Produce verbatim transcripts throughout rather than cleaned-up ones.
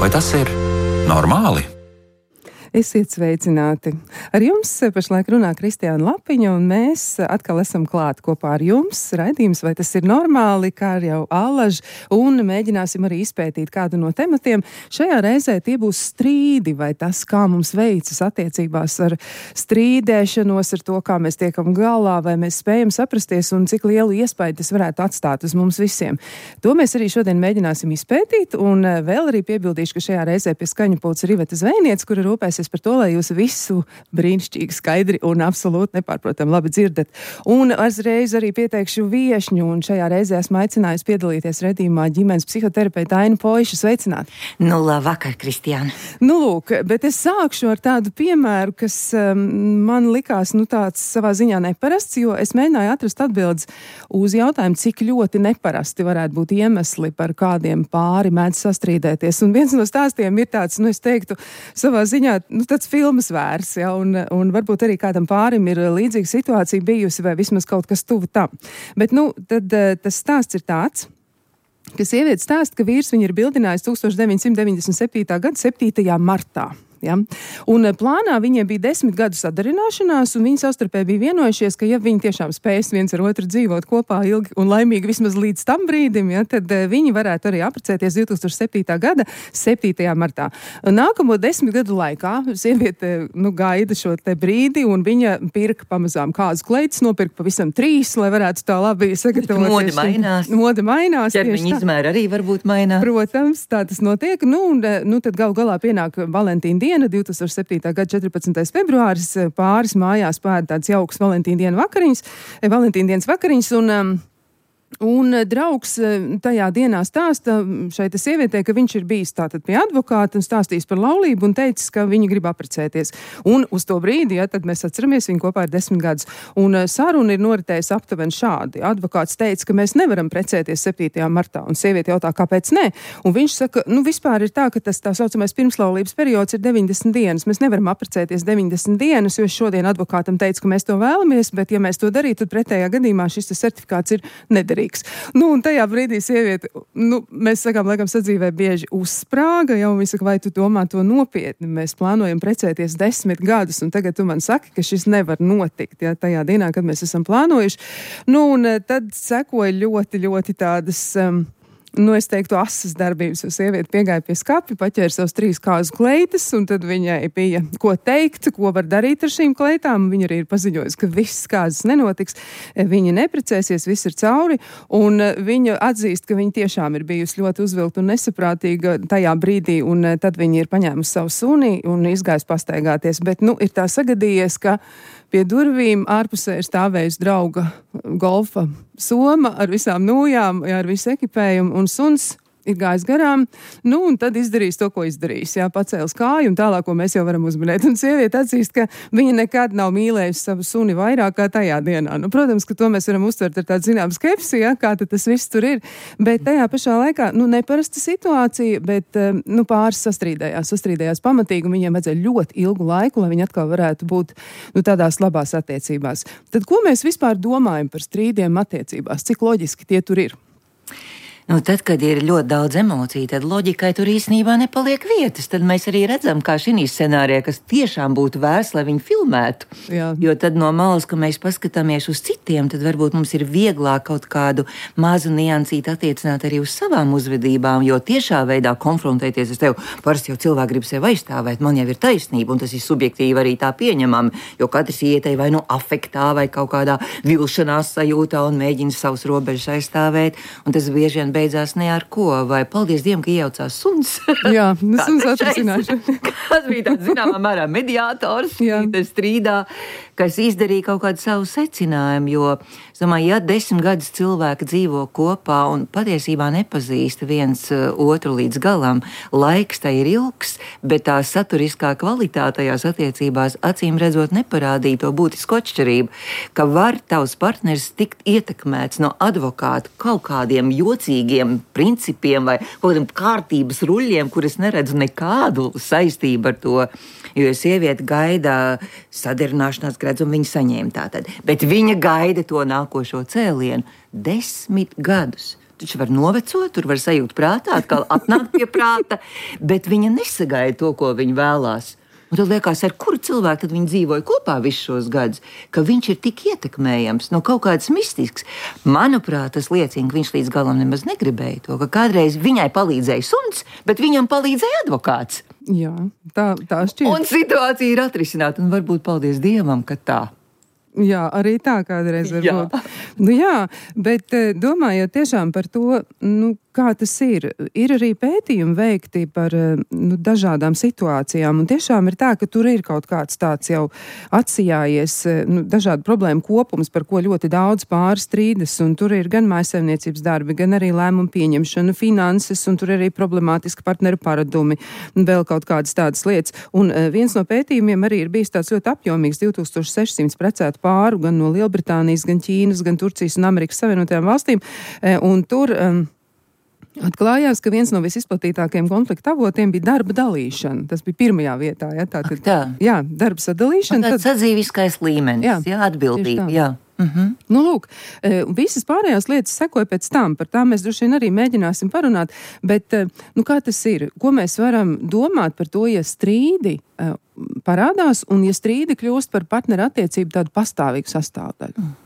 Vai tas ir normāli? Esiet sveicināti! Ar jums pašlaik runā Kristiāna Lapiņa, un mēs atkal esam klāt kopā ar jums. Raidījums, vai tas ir normāli, kā jau allaž, un mēģināsim arī izpētīt kādu no tematiem. Šajā reizē tie būs strīdi, vai tas, kā mums veicas attiecībās ar strīdēšanos, ar to, kā mēs tiekam galā, vai mēs spējam saprasties, un cik lielu iespēju tas varētu atstāt uz mums visiem. To mēs arī šodien mēģināsim izpētīt, un vēl arī piebildīšu, ka šajā reizē pie skaņu pults ir Iveta Zvejniece, kura rūpēsies par to, lai jūs visu brīnišķīgi skaidri un absolūti nepārprotam labi dzirdat. Un uzreiz arī pieteikšu viešņu, un šajā reizē esmu aicinājusi piedalīties redzījumā ģimenes psihoterapeita Aina Poiša. Sveicināt! Nu, labvakar, Kristiāna! Nu, lūk, bet es sākšu ar tādu piemēru, kas um, man likās, nu, tāds savā ziņā neparasts, jo es mēģināju atrast atbildes uz jautājumu, cik ļoti neparasti varētu būt iemesli, par kādiem pāri mēdz sastrīdēties. Un viens no stāstiem ir tāds, nu, es teiktu, savā ziņā nu, tāds filmas vērs, ja, un, un varbūt arī kādam pārim ir līdzīga situācija bijusi vai vismaz kaut kas tuvu tam. Bet, nu, tad tas stāsts ir tāds, ka sieviete stāsta, ka vīrs viņu ir bildinājis tusenč deviņsimt deviņdesmit septītā gada septītajā martā. Ja? Un plānā viņiem bija desmit gadu sadarināšanās, un viņi savstarpēji bija vienojušies, ka ja viņi tiešām spēs viens ar otru dzīvot kopā ilgi un laimīgi vismaz līdz tam brīdim, ja, tad viņi varētu arī apprecēties divtūkstoš septītā gada septītajā martā. Nākamo desmit gadu laikā sieviete nu, gaida šo te brīdi, un viņa pirka pamazām kādas kleitas, nopirka pavisam trīs, lai varētu tā labi sagatavoties. Mode mainās. Mode mainās. Ķermeņa izmēra arī varbūt mainās. Protams, tā tas notiek. Nu, un, nu tad gal galā pienāk Valentīna diena. divtūkstoš septītā gada četrpadsmitais februāris, pāris mājās pēda tāds jauks Valentīna diena vakariņas, Valentīna dienas vakariņas, un um, Un draugs tajā dienā stāsta šai te sievietē, ka viņš ir bijis tātad pie advokāta un stāstījis par laulību un teicis, ka viņi grib apprecēties. Un uz to brīdi, ja, tad mēs atceramies, viņi kopā ir desmit gadus. Un saruna ir noritējusi aptuveni šādi. Advokāts teica, ka mēs nevaram precēties septītajā martā, un sieviete jautā, kāpēc nē? Un viņš saka, nu vispār ir tā, ka tas tā saucamais pirmslaulības periods ir deviņdesmit dienas. Mēs nevaram apprecēties deviņdesmit dienas, jo šodien advokātam teica, ka mēs to vēlamies, bet ja mēs to darītu, tad pretējā gadījumā šis certifikāts ir nederīgs. Nu, un tajā brīdī sieviete, nu, mēs sakām, laikam sadzīvē bieži uzsprāga, jau viņa saka, vai tu domā to nopietni? Mēs plānojam precēties desmit gadus, un tagad tu man saki, ka šis nevar notikt, ja, tajā dienā, kad mēs esam plānojuši. Nu, un tad sekoja ļoti, ļoti tādas... Um, Nu, es teiktu, asas darbības, jo sieviete piegāja pie skapja, paķēra savus trīs kāzu kleitas, un tad viņai bija ko teikt, ko var darīt ar šīm kleitām. Viņa arī ir paziņojusi, ka viss kāzas nenotiks, viņa neprecēsies, viss ir cauri, un viņa atzīst, ka viņa tiešām ir bijusi ļoti uzvilkta un nesaprātīga tajā brīdī, un tad viņa ir paņēmusi savu suni un izgājusi pastaigāties. Bet, nu, ir tā sagadījies, ka pie durvīm ārpusē ir stāvējusi drauga golfa soma ar visām nūjām, jā, ar visu ekipējumu, un suns ir gājis garām, nu, un tad izdarījis to, ko izdarījis, jā, pacēlis kāju, un tālāk, ko mēs jau varam uzminēt. Un sieviete atzīst, ka viņa nekad nav mīlējusi savu suni vairāk kā tajā dienā. Nu, protams, ka to mēs varam uztvert ar tādu zinām skepsi, jā, kā tad tas viss tur ir, bet tajā pašā laikā, nu, neparasta situācija, bet, nu, pāris sastrīdējās, sastrīdējās pamatīgi, un viņiem vajadzēja ļoti ilgu laiku, lai viņi atkal varētu būt, nu, tādās labās attiecībās. Tad, ko mēs vispār domājam par strīdiem attiecībās? Cik loģiski tie tur ir? Nu, tad, kad ir ļoti daudz emociju, tad loģikai tur īstenībā nepaliek vietas. Tad mēs arī redzam, kā šī scenārijā, kas tiešām būtu vērts, lai viņi filmētu. Jā. Jo tad no malas, ka mēs paskatāmies uz citiem, tad varbūt mums ir vieglāk kaut kādu mazu niansīti attiecināt arī uz savām uzvedībām, jo tiešā veidā konfrontēties ar tevi, parasti jau cilvēki grib sevi aizstāvēt, man jau ir taisnība, un tas ir subjektīvi arī tā pieņemami, jo katrs ietei vai no afektā vai kaut kādā vilšanās sajūtā un mēģina savus robežas aizstāvēt, un tas bieži vien beidzās ne ar ko, vai paldies Dievam, ka iejaucās suns. Jā, suns atrasināšu. Kāds bija tāds zināmā mērā mediātors strīdā, kas izdarīja kaut kādu savu secinājumu, jo, es domāju, ja desmit gadus cilvēki dzīvo kopā un patiesībā nepazīst viens otru līdz galam, laiks tai ir ilgs, bet tā saturiskā kvalitāte tajās attiecībās acīm redzot neparādīja to būtisku atšķirību, ka var tavs partneris tikt ietekmēts no advokāta kaut kādiem jocīgiem principiem vai kaut kādiem kārtības ruļļiem, kuras neredzu nekādu saistību ar to, jo sieviete gaida sadarināšanās gradus un viņa saņēma tātad, bet viņa gaida to nākošo cēlienu desmit gadus. taču var novecot, tur var sajūt prātā, atkal atnākt pie prāta, bet viņa nesagaida to, ko viņa vēlās. Un tad liekas, ar kuru cilvēku tad viņi dzīvoja kopā visus šos gadus, ka viņš ir tik ietekmējams, no kaut kāds mistisks. Manuprāt, tas liecina, ka viņš līdz galam nemaz negribēja to, ka kādreiz viņai palīdzēja suns, bet viņam palīdzēja advokāts. Jā, tā, tā šķiet. Un situācija ir atrisināta, un varbūt paldies Dievam, ka tā. Jā, arī tā kādreiz var Jā. būt. Nu jā, bet domājot tiešām par to, nu, kā tas ir, ir arī pētījumi veikti par nu, dažādām situācijām, un tiešām ir tā, ka tur ir kaut kāds tāds jau atsijājies, nu, dažādu problēmu kopums, par ko ļoti daudz pāris strīdas, un tur ir gan mājsaimniecības darbi, gan arī lēmumu pieņemšana, finanses, un tur ir arī problemātiski partneru paradumi, un vēl kaut kādas tādas lietas. Un viens no pētījumiem arī ir bijis tāds ļoti apjomīgs, divi tūkstoši sešsimt precētu pāru, gan no Lielbritānijas, gan Ķīnas, gan Turcijas un Amerikas Savienotajām valstīm, un tur um, atklājās, ka viens no visizplatītākajiem konflikta avotiem bija darba dalīšana. Tas bija pirmajā vietā, ja, tā, tad, tā. Jā, darba sadalīšana. Tāds tad... sadzīviskais līmenis, jā, jā atbildība, jā. Mhm. Nu, lūk, visas pārējās lietas sekoja pēc tam, par tām mēs droši vien arī mēģināsim parunāt, bet, nu, kā tas ir? Ko mēs varam domāt par to, ja strīdi parādās un ja strīdi kļūst par partneru attiecību tādu pastāvīgu sastāvdaļu? Mm.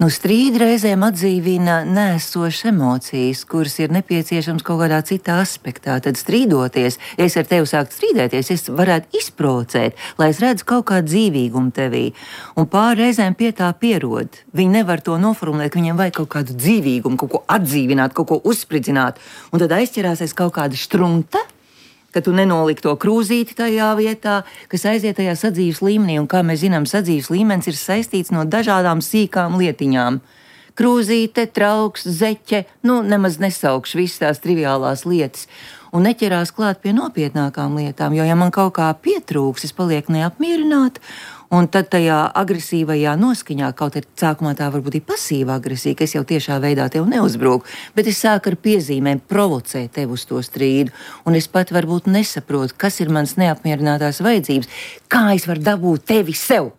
Nu, strīdi reizēm atdzīvina nēsošas emocijas, kuras ir nepieciešams kaut kādā citā aspektā. Tad strīdoties, ja es ar tevi sāktu strīdēties, es varētu izprovocēt, lai es redzu kaut kādu dzīvīgumu tevī. Un pāri reizēm pie tā pierod. Viņi nevar to noformulēt, ka viņiem vajag kaut kādu dzīvīgumu, kaut ko atdzīvināt, kaut ko uzspridzināt. Un tad aizķerāsies kaut kāda štrunta, ka tu nenoliki to krūzīti tajā vietā, kas aiziet tajā sadzīves līmenī. Un kā mēs zinām, sadzīves līmenis ir saistīts no dažādām sīkām lietiņām. Krūzīte, trauks, zeķe, nu nemaz nesaukšu visas tās triviālās lietas. Un neķerās klāt pie nopietnākām lietām, jo ja man kaut kā pietrūks, es palieku neapmierināta. Un tad tajā agresīvajā noskaņā, kaut arī sākumā tā varbūt ir pasīva agresija, ka es jau tiešā veidā tev neuzbruku, bet es sāku ar piezīmēm provocēt tev uz to strīdu. Un es pat varbūt nesaprotu, kas ir mans neapmierinātās vajadzības, kā es varu dabūt tevi sev.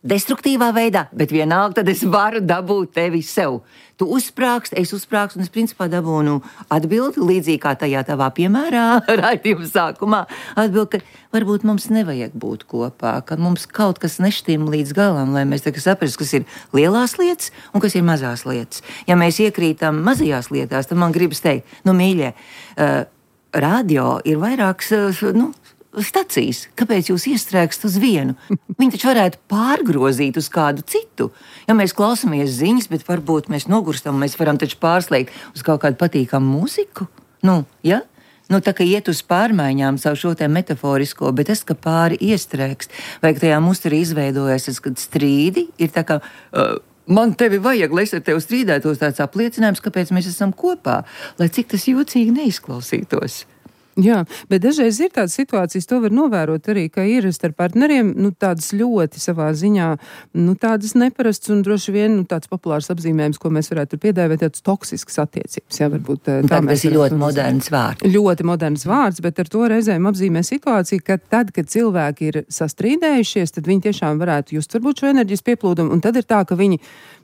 Destruktīvā veidā, bet vienalga tad es varu dabūt tevi sev. Tu uzsprāgst, es uzsprāgstu, un es principā dabūnu atbildi, līdzīgi kā tajā tavā piemērā, raidījuma sākumā, atbildi, ka varbūt mums nevajag būt kopā, ka mums kaut kas nešķim līdz galam, lai mēs tagad saprastu, kas ir lielās lietas un kas ir mazās lietas. Ja mēs iekrītam mazajās lietās, tad man gribas teikt, nu mīļie, uh, radio ir vairāks, uh, nu, stacijas, kāpēc jūs iestrēgstat uz vienu? Viņi taču varētu pārgrozīt uz kādu citu. Ja mēs klausāmies ziņas, bet varbūt mēs nogurstam, mēs varam taču pārslēgt uz kaut kādu patīkamu mūziku. Nu, ja? Nu, tā kā iet uz pārmaiņām savu šo te metaforisko, bet tas, ka pāri iestrēgst, vai ka tajā musterī izveidojas, kad strīdi ir tā kā... Uh, Man tevi vajag, lai es ar tevi strīdētos, tāds apliecinājums, kāpēc mēs esam kopā, lai cik tas jocīgi neizklausītos. Jā, bet dažreiz ir tādas situācijas, to var novērot arī, ka ir starp partneriem, nu, tādas ļoti savā ziņā, nu, tādas neparasts un droši vien, nu, tāds populārs apzīmējums, ko mēs varētu piedāvāt, tāds toksisks attiecības, jā, varbūt tā. Tā mēs ir ļoti moderns vārds. Ļoti moderns vārds, bet ar to reizēm apzīmē situāciju, ka tad, kad cilvēki ir sastrīdējušies, tad viņi tiešām varētu just varbūt šo enerģijas pieplūdumu, un tad ir tā, ka viņi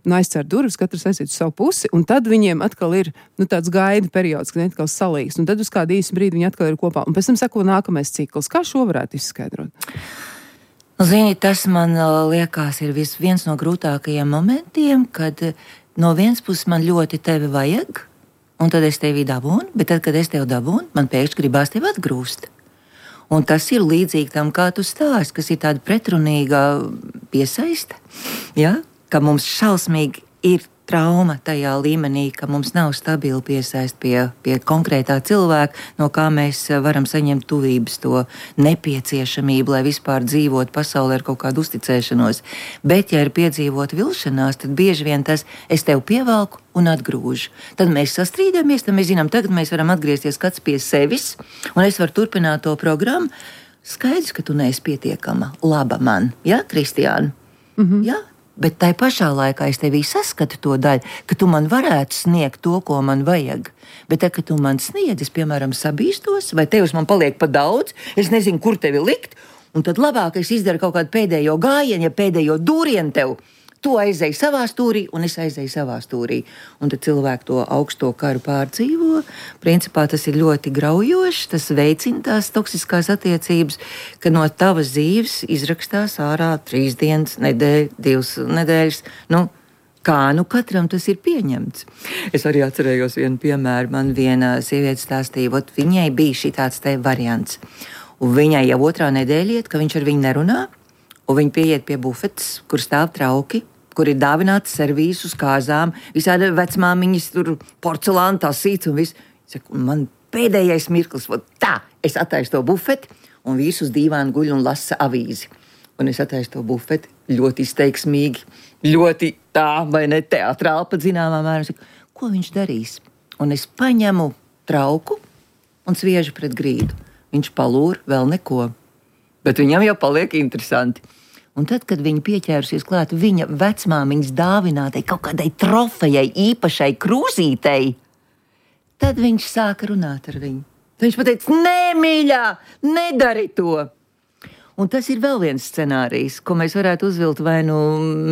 nu, aizcer durvis, katrs aiziet uz savu pusi, un tad viņiem atkal ir, nu, tāds gaida periods, kad viņi atkal salīgs, un tad uz kādu īsu brīdi viņi atkal ir kopā, un pēc tam sako nākamais cikls. Kā šo varētu izskaidrot? Zini, tas man liekas ir vis, viens no grūtākajiem momentiem, kad no vienas puses man ļoti tevi vajag, un tad es tevi dabūnu, bet tad, kad es tevi dabūnu, man pēkšņi gribās tevi atgrūst. Un tas ir līdzīgi tam, kā tu stāsti, kas ir tāda pretrunīga piesaiste, ja? Ka mums šausmīgi ir trauma tajā līmenī, ka mums nav stabili piesaist pie, pie konkrētā cilvēka, no kā mēs varam saņemt tuvības to nepieciešamību, lai vispār dzīvot pasaulē ar kaut kādu uzticēšanos. Bet, ja ir piedzīvot vilšanās, tad bieži vien tas es tev pievelku un atgrūžu. Tad mēs sastrīdamies, tad mēs zinām, tagad mēs varam atgriezties kāds pie sevis, un es varu turpināt to programmu. Skaidrs, ka tu neesi pietiekama laba man, ja, Kristiāna? Mhm. Ja? Bet tai pašā laikā es tevī saskatu to daļu, ka tu man varētu sniegt to, ko man vajag. Bet tā, ka tu man sniedz, es, piemēram, sabīstos, vai tev man paliek pa daudz, es nezinu, kur tevi likt, un tad labāk es izdaru kaut kādu pēdējo gājienu, ja pēdējo dūrienu tev Tu aizēji savā stūrī, un es aizēju savā stūrī. Un tad cilvēki to augsto karu pārdzīvo. Principā tas ir ļoti graujoši, tas veicina tās toksiskās attiecības, ka no tavas dzīves izrakstās ārā trīs dienas, nedēļa, divas nedēļas. Nu, kā nu katram tas ir pieņemts? Es arī atcerējos vienu piemēru. Man viena sieviete stāstīja, ot viņai bija šī tāds te variants. Un viņai jau otrā nedēļa iet, ka viņš ar viņu nerunā. Un viņi pieiet pie bufetes, kur stāv trauki, kur ir dāvināts servīzes uz kāzām, visādi vecmāmiņas, tur porcelāna tasīts un viss. Saku, man pēdējais mirklis, tā, es attaisu to bufeti, un vīrs uz dīvāna guļ un lasa avīzi. Un es attaisu to bufeti ļoti izteiksmīgi, ļoti tā, vai ne, teatrāli pat zināmā mērā. Saku, ko viņš darīs? Un es paņemu trauku un sviežu pret grīdu. Viņš palūr vēl neko, bet viņam jau paliek interesanti. Un tad, kad viņi pieķērusies klāt viņa vecmāmiņas dāvinātai kaut kādai trofejai, īpašai krūzītei, tad viņš sāka runāt ar viņu. Viņš pateica, nē, mīļā, nedari to! Un tas ir vēl viens scenārijs, ko mēs varētu uzvilkt vai nu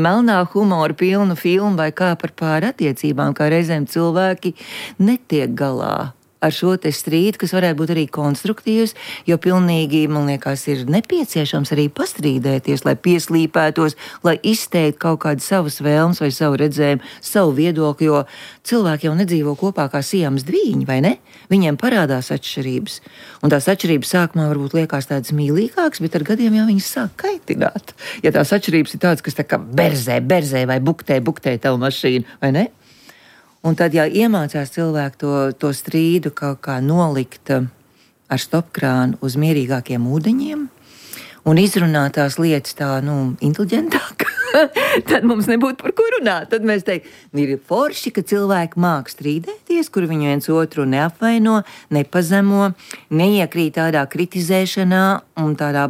melnā humora pilnu filmu vai kā par pāri attiecībām, kā reizēm cilvēki netiek galā ar šo te strīdu, kas varētu būt arī konstruktīvs, jo pilnīgi, man liekas, ir nepieciešams arī pastrīdēties, lai pieslīpētos, lai izteiktu kaut kādas savas vēlmes vai savu redzējumu, savu viedokli, jo cilvēki jau nedzīvo kopā kā sijams dvīņi, vai ne? Viņiem parādās atšķirības. Un tās atšķirības sākumā varbūt liekas tādas mīlīgākas, bet ar gadiem jau viņas sāk kaitināt. Ja tās atšķirības ir tādas, kas tā kā berzē, berzē vai buktē, buktē tavu mašīnu, vai ne? Un tad, ja iemācās cilvēku to, to strīdu kaut kā nolikt ar stopkrānu uz mierīgākiem ūdeņiem un izrunāt tās lietas tā, nu, inteliģentāk, tad mums nebūtu par ko runāt. Tad mēs teiktu, ir forši, ka cilvēki māk strīdēties, kur viņi viens otru neapvaino, nepazemo, neiekrīt tādā kritizēšanā un tādā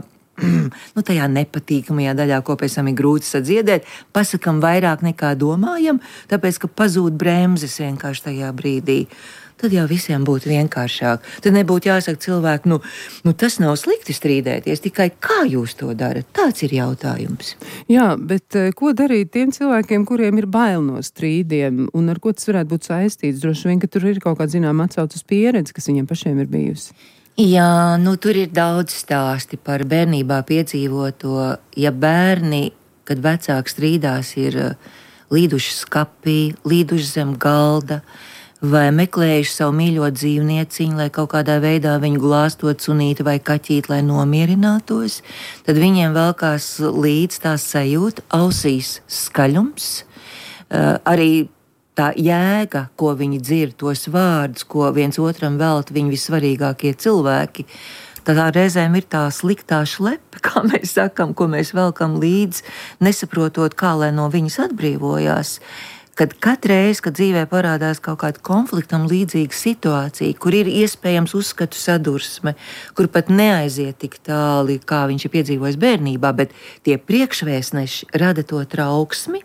nu, tajā nepatīkamajā daļā, ko pēc tam ir grūti sadziedēt, pasakam vairāk nekā domājam, tāpēc, ka pazūd bremzes vienkārši tajā brīdī. Tad jau visiem būtu vienkāršāk. Tad nebūtu jāsaka cilvēku, nu, nu tas nav slikti strīdēties, tikai kā jūs to darat? Tāds ir jautājums. Jā, bet ko darīt tiem cilvēkiem, kuriem ir bail no strīdiem, un ar ko tas varētu būt saistīts? Droši vien, ka tur ir kaut kāda zinām atsauc uz pieredzi, kas viņiem pašiem ir bijusi. Jā, nu tur ir daudz stāsti par bērnībā piedzīvoto. Ja bērni, kad vecāki strīdās, ir līduši skapī, līduši zem galda vai meklējuši savu mīļo dzīvnieciņu, lai kaut kādā veidā viņu glāstot sunīti vai kaķīt, lai nomierinātos, tad viņiem velkās līdz tā sajūta, ausīs skaļums, uh, arī tā jēga, ko viņi dzird, tos vārdus, ko viens otram velta viņi vissvarīgākie cilvēki, tad reizēm ir tā sliktā šlepe, kā mēs sakam, ko mēs velkam līdz, nesaprotot, kā lai no viņas atbrīvojās. Kad katreiz, kad dzīvē parādās kaut kāda konfliktam līdzīga situācija, kur ir iespējams uzskatu sadursme, kur pat neaiziet tik tāli, kā viņš ir piedzīvojis bērnībā, bet tie priekšvēstneši rada to trauksmi,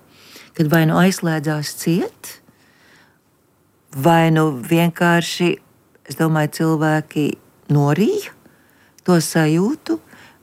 kad vai nu aizslēdzās ciet, vai nu vienkārši, es domāju, cilvēki norīja to sajūtu,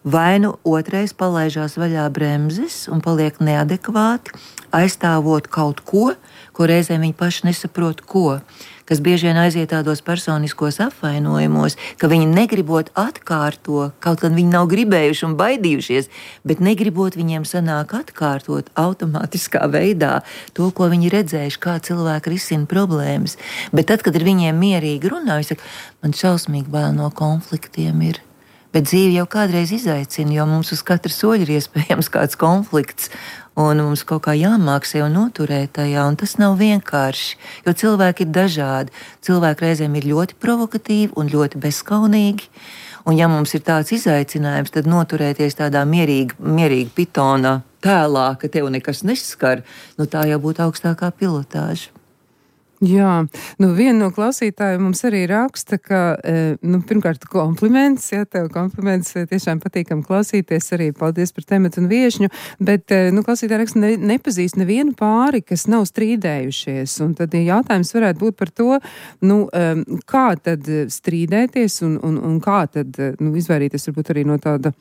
vai nu otrais palaižās vaļā bremzes un paliek neadekvāti, aizstāvot kaut ko, ko reizēm viņi paši nesaprot, ko, kas bieži vien aiziet tādos personiskos apvainojumos, ka viņi negribot atkārto, kaut gan viņi nav gribējuši un baidījušies, bet negribot viņiem sanāk atkārtot automātiskā veidā to, ko viņi redzējuši, kā cilvēki risina problēmas. Bet tad, kad ir viņiem mierīgi runā, viņi saka, man šausmīgi bail no konfliktiem ir. Bet dzīve jau kādreiz izaicina, jo mums uz katra soļa ir iespējams kāds konflikts, un mums kaut kā jāmāk sev noturēt tajā, un tas nav vienkārši, jo cilvēki ir dažādi. Cilvēki reizēm ir ļoti provokatīvi un ļoti bezskaunīgi, un ja mums ir tāds izaicinājums, tad noturēties tādā mierīga, mierīga pitona tēlā, ka tev nekas neskar, nu tā jau būtu augstākā pilotāža. Jā, nu viena no klausītājiem mums arī raksta, ka, nu, pirmkārt, kompliments, jā, tev kompliments, tiešām patīkam klausīties arī, paldies par tematu un viešņu, bet, nu, klausītāji raksta, ne, nepazīst nevienu pāri, kas nav strīdējušies, un tad jautājums varētu būt par to, nu, kā tad strīdēties un, un, un kā tad, nu, izvairīties varbūt arī no tāda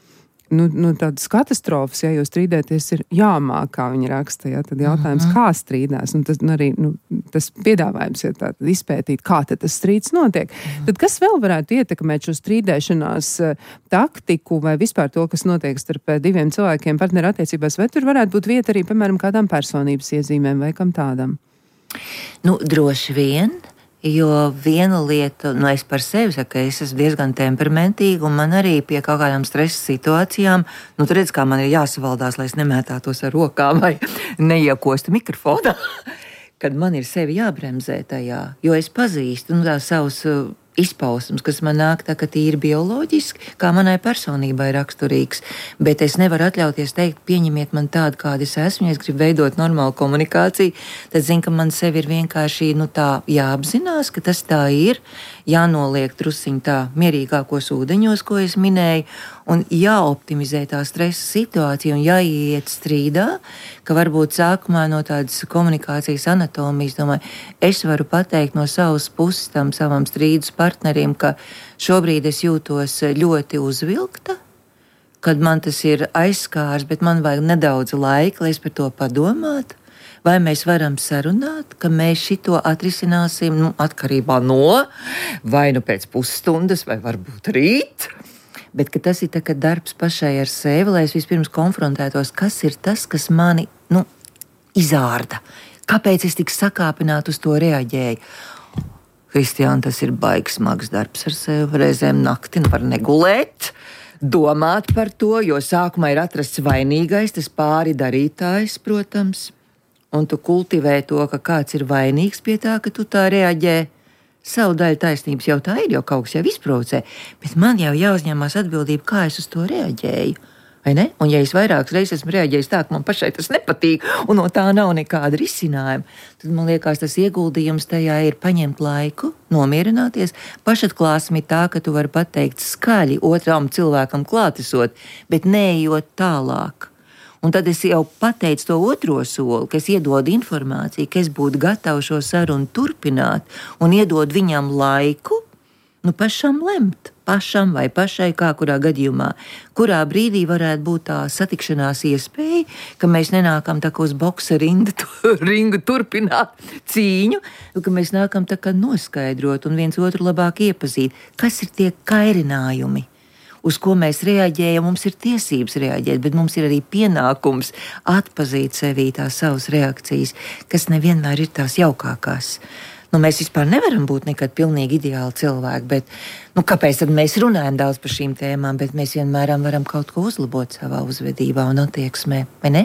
Nu, nu, tādas katastrofas, ja jūs strīdēties, ir jāmāk, kā viņi raksta, ja, tad jautājums, uh-huh. kā strīdās, un tas, un arī, nu, tas piedāvājums, ja tā, tad izpētīt, kā tad tas strīds notiek. Uh-huh. Tad kas vēl varētu ietekmēt šo strīdēšanās uh, taktiku vai vispār to, kas notiek starp diviem cilvēkiem partneru attiecībās, vai tur varētu būt vieta arī, piemēram, kādām personības iezīmēm vai kam tādam? Nu, droši vien. Jo viena lieta, nu es par sevi saku, ka es esmu diezgan temperamentīga un man arī pie kaut kādām stresa situācijām, nu tu redz, kā man ir jāsavaldās, lai es nemētātos ar rokām vai neiekostu mikrofonā, kad man ir sevi jābremzē tajā, jo es pazīstu, nu tā savus uh, izpausmes, kas man nāk tā, ka tīri bioloģiski, kā manai personībai raksturīgs, bet es nevaru atļauties teikt, pieņemiet man tādu, kāda es esmu, ja es gribu veidot normālu komunikāciju, tad zinu, ka man sevi ir vienkārši, nu tā, jāapzinās, ka tas tā ir, jānoliek trusiņ tā mierīgākos ūdeņos, ko es minēju, un jāoptimizē tā stresa situācija un jāiet strīdā, ka varbūt sākumā no tādas komunikācijas anatomijas, domāju, es varu pateikt no savas puses tam savam strīdus partnerim, ka šobrīd es jūtos ļoti uzvilkta, kad man tas ir aizskārs, bet man vajag nedaudz laika, lai es par to padomātu. Vai mēs varam sarunāt, ka mēs šito atrisināsim, nu, atkarībā no, vai nu pēc pusstundas, vai varbūt rīt, bet ka tas ir tā, ka darbs pašai ar sevi, lai es vispirms konfrontētos, kas ir tas, kas mani, nu, izārda. Kāpēc es tik sakāpināt uz to reaģēju? Kristiāna, tas ir baigs smags darbs ar sevi, reizēm nakti var negulēt, domāt par to, jo sākumā ir atrasts vainīgais, tas pāri darītājs, protams. Un tu kultivē to, ka kāds ir vainīgs pie tā, ka tu tā reaģē. Savu daļu taisnības jau tā ir, jau kaut kas jau izprovocē, bet man jau jāuzņemās atbildība, kā es uz to reaģēju. Vai ne? Un ja es vairākas reizes esmu reaģējis tā, ka man pašai tas nepatīk, un no tā nav nekāda risinājuma, tad man liekas, tas ieguldījums tajā ir paņemt laiku, nomierināties. Pašatklāsme ir tā, ka tu vari pateikt skaļi otram cilvēkam klātesot, bet neejot tālāk. Un tad es jau pateicu to otro soli, ka es iedodu informāciju, ka es būtu gatava šo sarunu turpināt un iedod viņam laiku, nu pašam lemt, pašam vai pašai, kā kurā gadījumā, kurā brīdī varētu būt tā satikšanās iespēja, ka mēs nenākam tā kā uz boksa rindu, ringu turpināt cīņu, ka mēs nākam tā kā noskaidrot un viens otru labāk iepazīt, kas ir tie kairinājumi, uz ko mēs reaģējam, mums ir tiesības reaģēt, bet mums ir arī pienākums atpazīt sevī tās savas reakcijas, kas nevienmēr ir tās jaukākās. Nu, mēs vispār nevaram būt nekad pilnīgi ideāli cilvēki, bet nu, kāpēc tad mēs runājam daudz par šīm tēmām, bet mēs vienmēr varam kaut ko uzlabot savā uzvedībā un attieksmē, vai ne?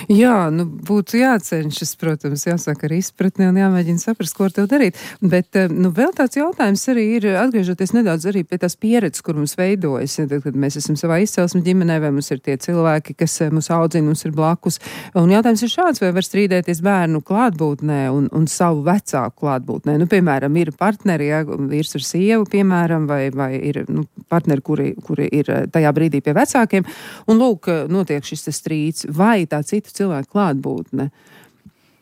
Jā, nu būtu jācenšas, protams, jāsāk ar izpratni un jāmēģina saprast, ko ar tev darīt. Bet, nu, vēl tāds jautājums arī ir, atgriežoties nedaudz arī pie tās pieredzes, kur mums veidojas, ja, tad, kad mēs esam savā izcelsmes ģimenē, vai mums ir tie cilvēki, kas mūs audzina, mums ir blakus. Un jautājums ir šāds, vai var strīdēties bērnu klātbūtnē un, un savu vecāku klātbūtnē. Nu, piemēram, ir partneri, ja, vīrs ar sievu, piemēram, vai, vai ir nu, partneri, kuri, kuri ir tajā brīdī pie vecākiem. Un lūk, notiek šis strīds, vai tā citu cilvēku klātbūtne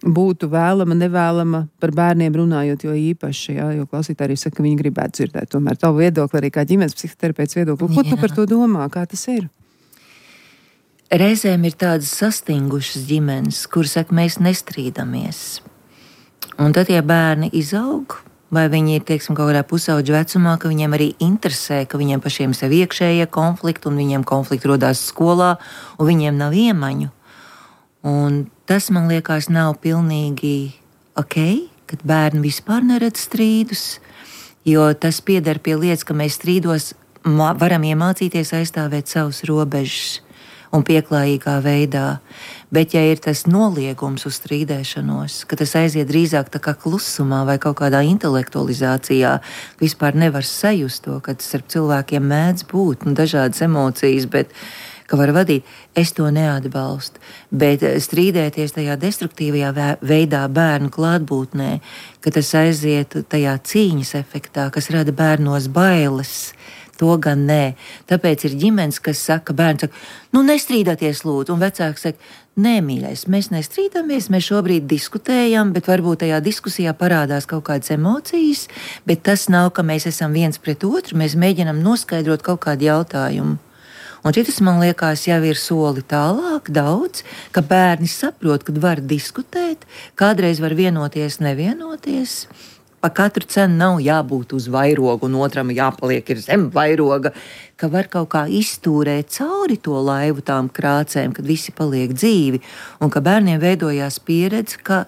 būtu vēlama, nevēlama par bērniem runājot, jo īpaši, jā, jo klausītāji arī saka, ka viņi gribētu dzirdēt tomēr tavu viedokli, arī kā ģimenes psihoterapeits viedokli. Ko tu par to domā? Kā tas ir? Reizēm ir tādas sastingušas ģimenes, kuras saka, mēs nestrīdamies. Un tad, ja bērni izaug, vai viņi ir, teiksim, kaut kādā pusauģa vecumā, ka viņiem arī interesē, ka viņiem pašiem sev iekšējie konflikti, un viņiem konflikti rodās skolā, un viņiem nav iemaņu. Un tas, man liekas, nav pilnīgi ok, kad bērni vispār neredz strīdus, jo tas pieder pie lietas, ka mēs strīdos varam iemācīties aizstāvēt savus robežas un pieklājīgā veidā. Bet, ja ir tas noliegums uz strīdēšanos, ka tas aiziet drīzāk tā kā klusumā vai kaut kādā intelektualizācijā, vispār nevar sajust to, ka tas ar cilvēkiem mēdz būt, un dažādas emocijas, bet ka var vadīt, es to neatbalstu, bet strīdēties tajā destruktīvajā veidā bērnu klātbūtnē, ka tas aiziet tajā cīņas efektā, kas rada bērnos bailes, to gan nē. Tāpēc ir ģimenes, kas saka, bērns saka, nu nestrīdāties lūdzu, un vecāks saka, nē, mīļais, mēs nestrīdamies, mēs šobrīd diskutējam, bet varbūt tajā diskusijā parādās kaut kādas emocijas, bet tas nav, ka mēs esam viens pret otru, mēs mēģinam noskaidrot kaut kādu jautājumu. Un šitas, man liekas, jau ir soli tālāk daudz, ka bērni saprot, kad var diskutēt, kādreiz var vienoties, nevienoties. Pa katru cenu nav jābūt uz vairogu, un otram jāpaliek ir zem vairoga, ka var kaut kā iztūrēt cauri to laivu tām krācēm, kad visi paliek dzīvi, un ka bērniem veidojās pieredze, ka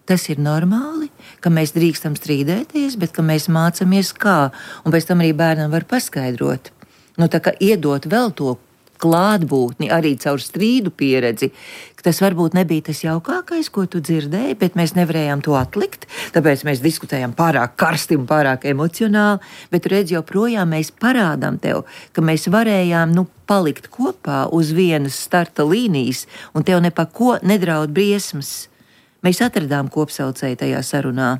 tas ir normāli, ka mēs drīkstam strīdēties, bet ka mēs mācāmies kā, un pēc tam arī bērnam var paskaidrot. Nu, tā kā iedot vēl to klātbūtni arī caur strīdu pieredzi, ka tas varbūt nebija tas jaukākais, ko tu dzirdēji, bet mēs nevarējām to atlikt, tāpēc mēs diskutējām pārāk karsti un pārāk emocionāli, bet redz, joprojām mēs parādām tev, ka mēs varējām, nu, palikt kopā uz vienas starta līnijas, un tev nepako nedraud briesmas. Mēs atradām kopsaucēju tajā sarunā.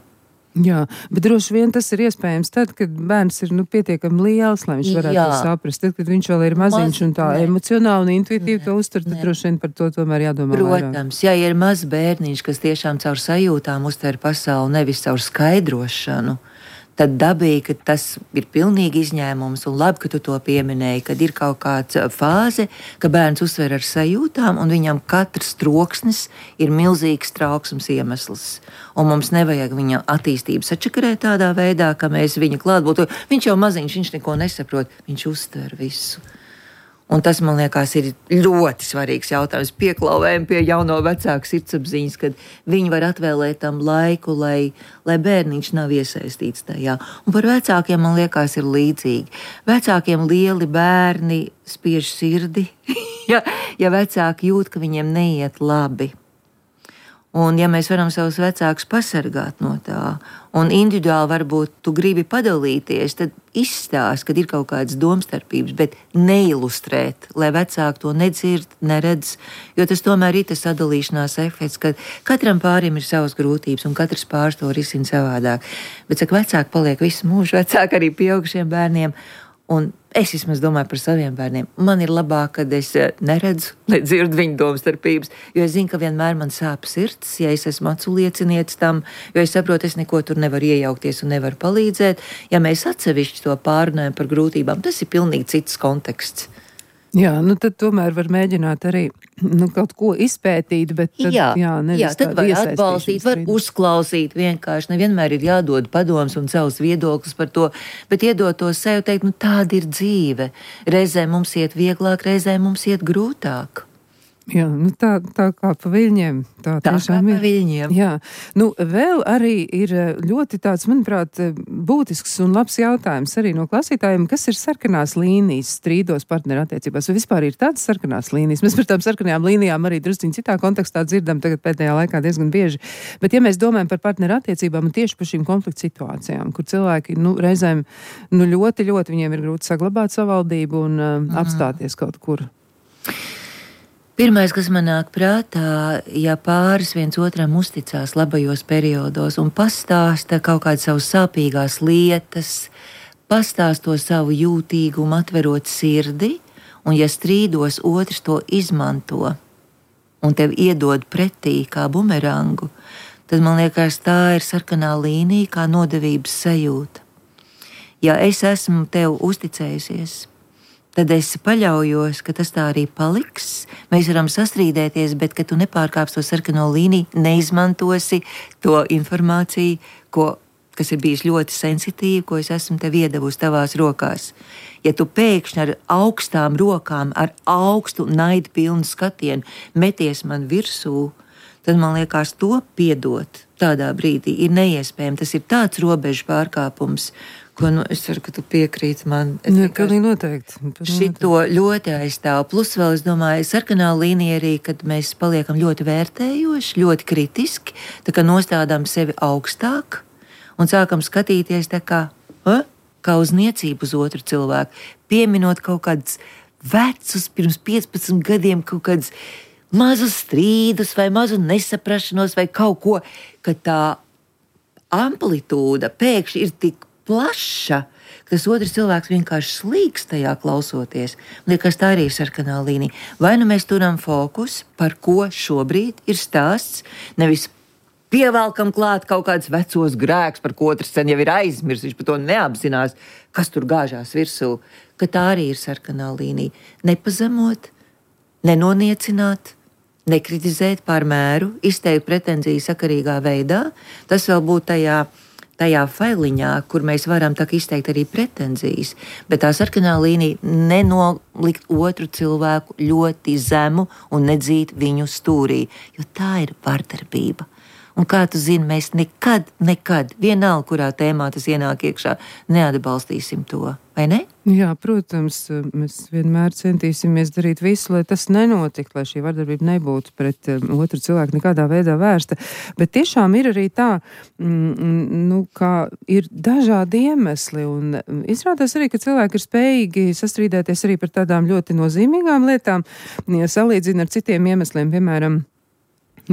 Jā, bet droši vien tas ir iespējams tad, kad bērns ir nu, pietiekami liels, lai viņš varētu Jā. to saprast. Tad, kad viņš vēl ir maziņš Maz, un tā ne. emocionāli un intuitīvi Ne, to uztur, tad ne. droši vien par to tomēr jādomā vairāk. Protams, ja ir mazs bērniņš, kas tiešām caur sajūtām uztver pasauli, nevis caur skaidrošanu, tad dabīgi, ka tas ir pilnīgi izņēmums, un labi, ka tu to pieminēji, kad ir kaut kāda fāze, ka bērns uztver ar sajūtām, un viņam katrs troksnis ir milzīgs trauksmes iemesls. Un mums nevajag viņa attīstību sačakarēt tādā veidā, ka mēs viņa klātbūtu. Viņš jau maziņš, viņš neko nesaprot, viņš uztver visu. Un tas, man liekas, ir ļoti svarīgs jautājums. Pieklauvējam pie jauno vecāku sirdsapziņas, kad viņi var atvēlēt tam laiku, lai, lai bērniņš nav iesaistīts tajā. Un par vecākiem, man liekas, ir līdzīgi. Vecākiem lieli bērni spiež sirdi, ja, ja vecāki jūt, ka viņiem neiet labi. Un ja mēs varam savus vecākus pasargāt no tā, un individuāli varbūt tu gribi padalīties, tad izstāst, kad ir kaut kādas domstarpības, bet neilustrēt, lai vecāki to nedzird, neredz, jo tas tomēr ir tas sadalīšanās efekts, ka katram pārim ir savas grūtības, un katrs pāris to risina savādāk. Bet, saka, vecāki paliek visu mūžu, vecāki arī pieaugušiem bērniem, un es vismaz domāju par saviem bērniem. Man ir labāk, kad es neredzu, nedzirdu viņu domstarpības, jo es zinu, ka vienmēr man sāp sirds, ja es esmu acu liecinietis tam, jo es saprotu, es neko tur nevaru iejaukties un nevaru palīdzēt. Ja mēs atsevišķi to pārunājam par grūtībām, tas ir pilnīgi cits konteksts. Jā, nu tad tomēr var mēģināt arī nu, kaut ko izpētīt, bet tad, jā, jā, jā, tad var atbalstīt, var uzklausīt vienkārši, nevienmēr ir jādod padoms un savs viedoklis par to, bet iedot to sev teikt, nu tāda ir dzīve. Reizē mums iet vieglāk, reizē mums iet grūtāk. Jā, nu tā, tā kā pa viļņiem. Tā, tā kā pa viļņiem. Jā, nu vēl arī ir ļoti tāds, manuprāt, būtisks un labs jautājums arī no klausītājiem, kas ir sarkanās līnijas strīdos partneru attiecībās, vai vispār ir tādas sarkanās līnijas. Mēs par tām sarkanajām līnijām arī drusciņ citā kontekstā dzirdam tagad pēdējā laikā diezgan bieži, bet ja mēs domājam par partneru attiecībām un tieši par šīm konfliktu situācijām, kur cilvēki, nu, reizēm, nu, ļoti, ļoti viņiem ir grūti saglabāt savaldību un uh, mm. apstāties kaut kur. Pirmais, kas man nāk prātā, ja pāris viens otram uzticās labajos periodos un pastāsta kaut kādas savas sāpīgās lietas, pastāst to savu jūtīgumu, atverot sirdi, un ja strīdos otrs to izmanto un tev iedod pretī kā bumerangu, tad man liekas, tā ir sarkanā līnija kā nodevības sajūta. Ja es esmu tev uzticējusies, tad es paļaujos, ka tas tā arī paliks. Mēs varam sastrīdēties, bet ka tu nepārkāpsi to sarkano līniju, neizmantosi to informāciju, ko, kas ir bijis ļoti sensitīva, ko es esmu tev iedevusi tavās rokās. Ja tu pēkšņi ar augstām rokām, ar augstu naidu pilnu skatienu meties man virsū, tad man liekas, to piedot tādā brīdī ir neiespējami. Tas ir tāds robežu pārkāpums, ko, nu, es ceru, ka tu piekrīti man. Ne, pilnīgi noteikti. Šito ļoti aizstāv. Plus vēl, es domāju, sarkanā līnija arī, kad mēs paliekam ļoti vērtējoši, ļoti kritiski, tā kā nostādām sevi augstāk un sākam skatīties tā kā, ha? kā uz niecību uz otru cilvēku, pieminot kaut kādus vecus, pirms piecpadsmit gadiem kaut kādus mazus strīdus vai mazu nesaprašanos vai kaut ko, ka tā amplitūda pēkšņi ir tik plaša, ka tas otrs cilvēks vienkārši slīkst tajā klausoties. Liekas, tā arī ir sarkanā līnija. Vai nu mēs turam fokus, par ko šobrīd ir stāsts, nevis pievelkam klāt kaut kādus vecos grēkus, par ko otrs sen jau ir aizmirsis, viņš par to neapzinās, kas tur gāžās virsū, ka tā arī ir sarkanā līnija. Nepazemot, nenoniecināt, nekritizēt pār mēru, izteikt pretenziju sakarīgā veidā. Tas vēl būtu tajā, tajā failiņā, kur mēs varam tā izteikt arī pretenzijas. Bet tā sarkanā līnija nenolikt otru cilvēku ļoti zemu un nedzīt viņu stūrī, jo tā ir vardarbība. Un kā tu zini, mēs nekad, nekad, vienalga, kurā tēmā tas ienāk iekšā, neatbalstīsim to, vai ne? Jā, protams, mēs vienmēr centīsimies darīt visu, lai tas nenotiktu, lai šī vardarbība nebūtu pret um, otru cilvēku nekādā veidā vērsta. Bet tiešām ir arī tā, mm, nu, kā ir dažādi iemesli, un izrādās arī, ka cilvēki ir spējīgi sastrīdēties arī par tādām ļoti nozīmīgām lietām, ja salīdzina ar citiem iemesliem, piemēram,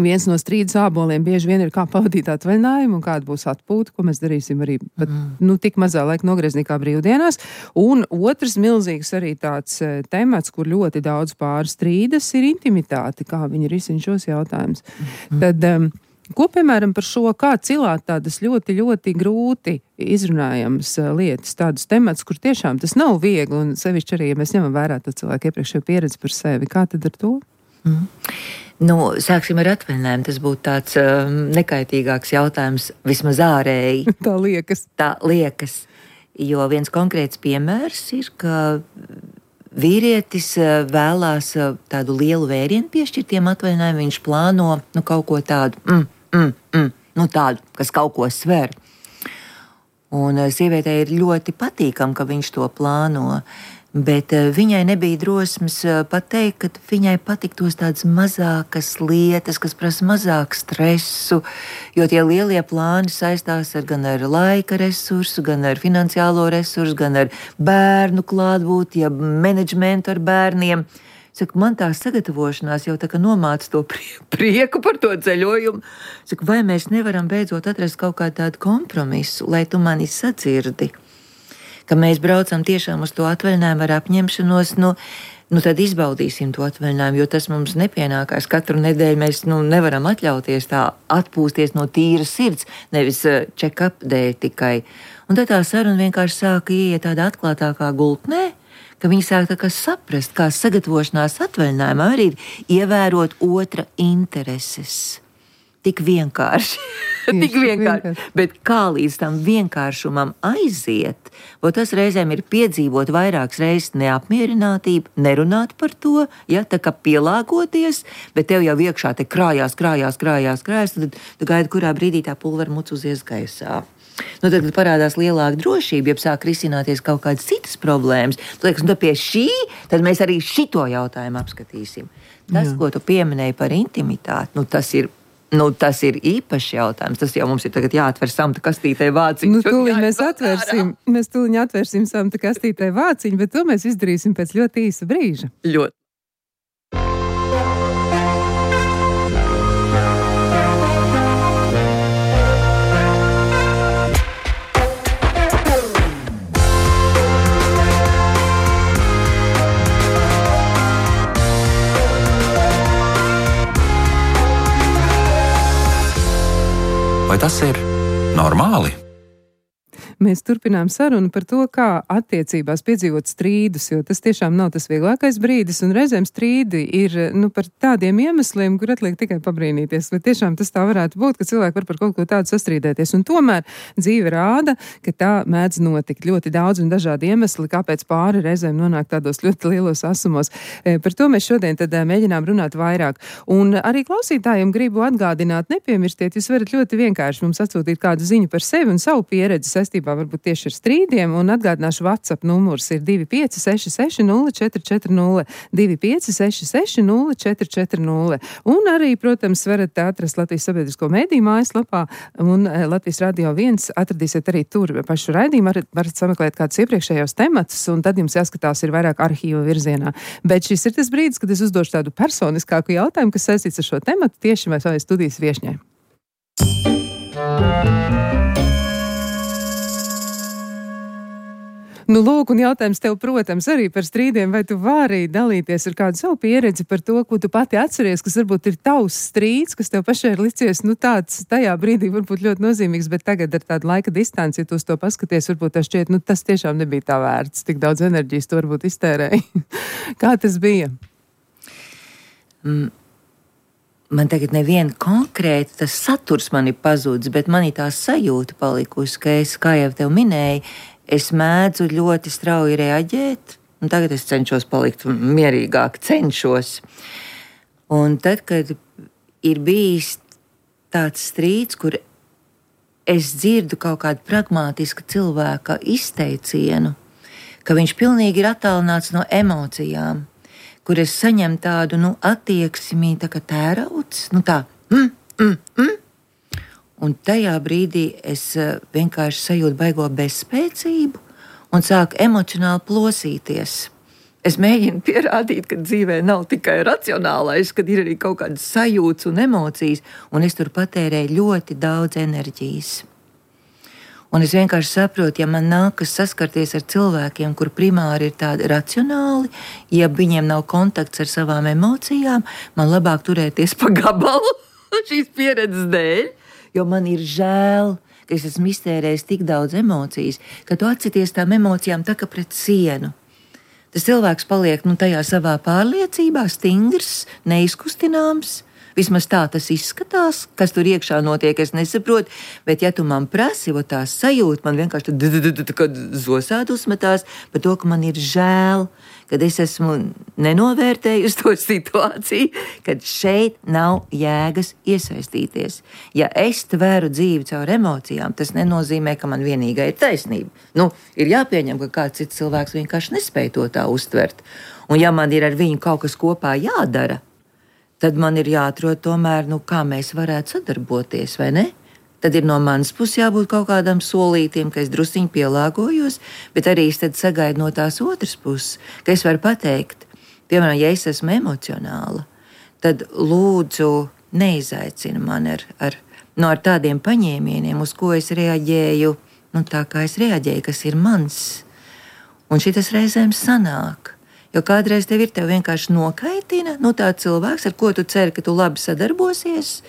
viens no strīdus āboliem bieži vien ir kā pavadīt atvaļinājumu un kāda būs atpūta, ko mēs darīsim arī pat, mm. nu, tik mazā laika nogriezni kā brīvdienās. Un otrs milzīgs arī tāds e, temats, kur ļoti daudz pāri strīdas, ir intimitāte, kā viņi risina šos jautājumus. Mm. Tad, um, ko, piemēram, par šo, kā cilāt tādas ļoti, ļoti grūti izrunājamas uh, lietas, tādus temats, kur tiešām tas nav viegli, un sevišķi arī, ja mēs ņemam vērā to cilvēku iepriekšējo pieredzi par sevi, kā tad ar to? Mm. Nu, sāksim ar atvaļinājumu. Tas būtu tāds um, nekaitīgāks jautājums, vismaz ārēji. Tā liekas. Tā liekas. Jo viens konkrēts piemērs ir, ka vīrietis uh, vēlās uh, tādu lielu vērienu piešķirtiem atvaļinājumu. Viņš plāno nu, kaut ko tādu, mm, mm, mm, nu, tādu, kas kaut ko sver. Un uh, sievietei ir ļoti patīkam, ka viņš to plāno. Bet uh, viņai nebija drosmes uh, pateikt, ka viņai patiktos tādas mazākas lietas, kas prasa mazāku stresu, jo tie lielie plāni saistās ar gan ar laika resursu, gan ar finansiālo resursu, gan ar bērnu klātbūtni, ja menedžmentu ar bērniem. Saku, man tā sagatavošanās jau tā kā nomāca to prieku par to ceļojumu. Saku, vai mēs nevaram beidzot atrast kaut kādu tādu kompromisu, lai tu mani sadzirdi? Ka mēs braucam tiešām uz to atvaļinājumu ar apņemšanos, nu, nu tad izbaudīsim to atvaļinājumu, jo tas mums nepienākās. Katru nedēļu mēs nu, nevaram atļauties tā atpūsties no tīras sirds, nevis check-up dēļ tikai. Un tad tā saruna vienkārši sāka ieiet tādā atklātākā gultnē, ka viņi sāk tā kā saprast, kā sagatavošanās atvaļinājumā arī ir ievērot otra intereses. Tik vienkārši, tik vienkārši, bet kā līdz tam vienkāršumam aiziet, o tas reizēm ir piedzīvot vairākas reizes neapmierinātību, nerunāt par to, ja, tā kā pielāgoties, bet tev jau iekšā te krājās, krājās, krājās, krājās, tad tu gaidi, kurā brīdī tā pulvera muc uzies gaisā. Nu, tad parādās lielāka drošība, ja sāk risināties kaut kādas citas problēmas. Tu liekas, nu, pie šī, tad mēs arī šito jautājumu apskatīsim. Tas, Jā. Ko tu pieminēji par intimitāti, nu, tas ir Nu, tas ir īpašs jautājums. Tas jau mums ir tagad jāatver samta kastītē vāciņu. Nu, tūliņ mēs atvērsim, mēs tūliņ atvērsim samta kastītē vāciņu, bet to mēs izdarīsim pēc ļoti īsa brīža. Ļoti. Vai tas ir normāli? Mēs turpinām sarunu par to, kā attiecībās piedzīvot strīdus, jo tas tiešām nav tas vieglākais brīdis, un reizēm strīdi ir nu, par tādiem iemesliem, kur atliek tikai pabrīnīties. Vai tiešām tas tā varētu būt, ka cilvēki var par kaut ko tādu sastrīdēties, un tomēr dzīve rāda, ka tā mēdz notikt ļoti daudz un dažādi iemesli, kāpēc pāri reizēm nonāk tādos ļoti lielos asumos. E, par to mēs šodien tad mēģinām runāt vairāk. Un arī klausītājiem gribu atgādināt, nepiemirstiet, jūs varat ļoti vienkārši mums atsūtīt kādu ziņu par sevi un savu pieredzi saistībā varbūt tieši ar strīdiem, un atgādināšu WhatsApp numurs ir divi pieci seši seši nulle četri četri nulle, divi pieci seši seši nulle četri četri nulle. Un arī, protams, varat atrast Latvijas sabiedrisko mediju mājaslapā, un Latvijas Radio viens atradīsiet arī tur pašu raidījumu, varat, varat sameklēt kādus iepriekšējos tematus, un tad jums jāskatās ir vairāk arhīva virzienā. Bet šis ir tas brīdis, kad es uzdošu tādu personiskāku jautājumu, kas saistīts ar šo tematu tieši vai savai studijas viešņai. Nu, lūk, un jautājums tev, protams, arī par strīdiem, vai tu vari dalīties ar kādu savu pieredzi par to, ko tu pati atceries, kas varbūt ir tavs strīds, kas tev pašai ir licies, nu, tāds tajā brīdī varbūt ļoti nozīmīgs, bet tagad ar tādu laika distanci, ja tu uz to paskaties, varbūt tā šķiet, nu, tas tiešām nebija tā vērts, tik daudz enerģijas tu varbūt iztērēji. Kā tas bija? Mm. Man tagad neviena konkrēta, tas saturs man ir pazudis, bet man ir tā sajūta palikusi, ka es, kā jau tev minēju, es mēdzu ļoti strauji reaģēt, un tagad es cenšos palikt mierīgāk, cenšos. Un tad, kad ir bijis tāds strīds, kur es dzirdu kaut kādu pragmātisku cilvēka izteicienu, ka viņš pilnīgi ir attālināts no emocijām, kur es saņemu tādu, nu, attieksmi, tā kā tērauds, nu tā, mm, mm, mm. Un tajā brīdī es vienkārši sajūtu baigo bezspēcību un sāku emocionāli plosīties. Es mēģinu pierādīt, ka dzīvē nav tikai racionālais, kad ir arī kaut kādas sajūtas un emocijas, un es tur patērēju ļoti daudz enerģijas. Un es vienkārši saprotu, ja man nākas saskarties ar cilvēkiem, kur primāri ir tādi racionāli, ja viņiem nav kontakts ar savām emocijām, man labāk turēties pa gabalu šīs pieredzes dēļ, jo man ir žēl, ka es esmu iztērējis tik daudz emocijas, ka tu atsities tām emocijām tā kā pret sienu. Tas cilvēks paliek, nu, tajā savā pārliecībā, stingrs, neizkustināms. Vismaz tā tas izskatās, kas tur iekšā notiek, es nesaprotu, bet ja tu man prasi, o tā sajūta, man vienkārši tad zosāt uzmetās par to, ka man ir žēl, kad es esmu nenovērtējusi to situāciju, kad šeit nav jēgas iesaistīties. Ja es tveru dzīvi caur emocijām, tas nenozīmē, ka man vienīgai ir taisnība. Nu, ir jāpieņem, ka kāds cits cilvēks vienkārši nespēj to tā uztvert. Un ja man ir ar viņu kaut kas kopā jādara, tad man ir jāatrod tomēr, nu, kā mēs varētu sadarboties, vai ne? Tad ir no manas puses jābūt kaut kādam solītiem, ka es drusciņi pielāgojos, bet arī es tad sagaidu no tās otras puses, ka es varu pateikt, piemēram, ja es esmu emocionāla, tad lūdzu neizaicina man ar, ar, no ar tādiem paņēmieniem, uz ko es reaģēju, nu, tā kā es reaģēju, kas ir mans. Un šitas reizēm sanāk. Jo kādreiz tev ir, tev vienkārši nokaitina, nu, tā cilvēks, ar ko tu ceri, ka tu labi sadarbosies,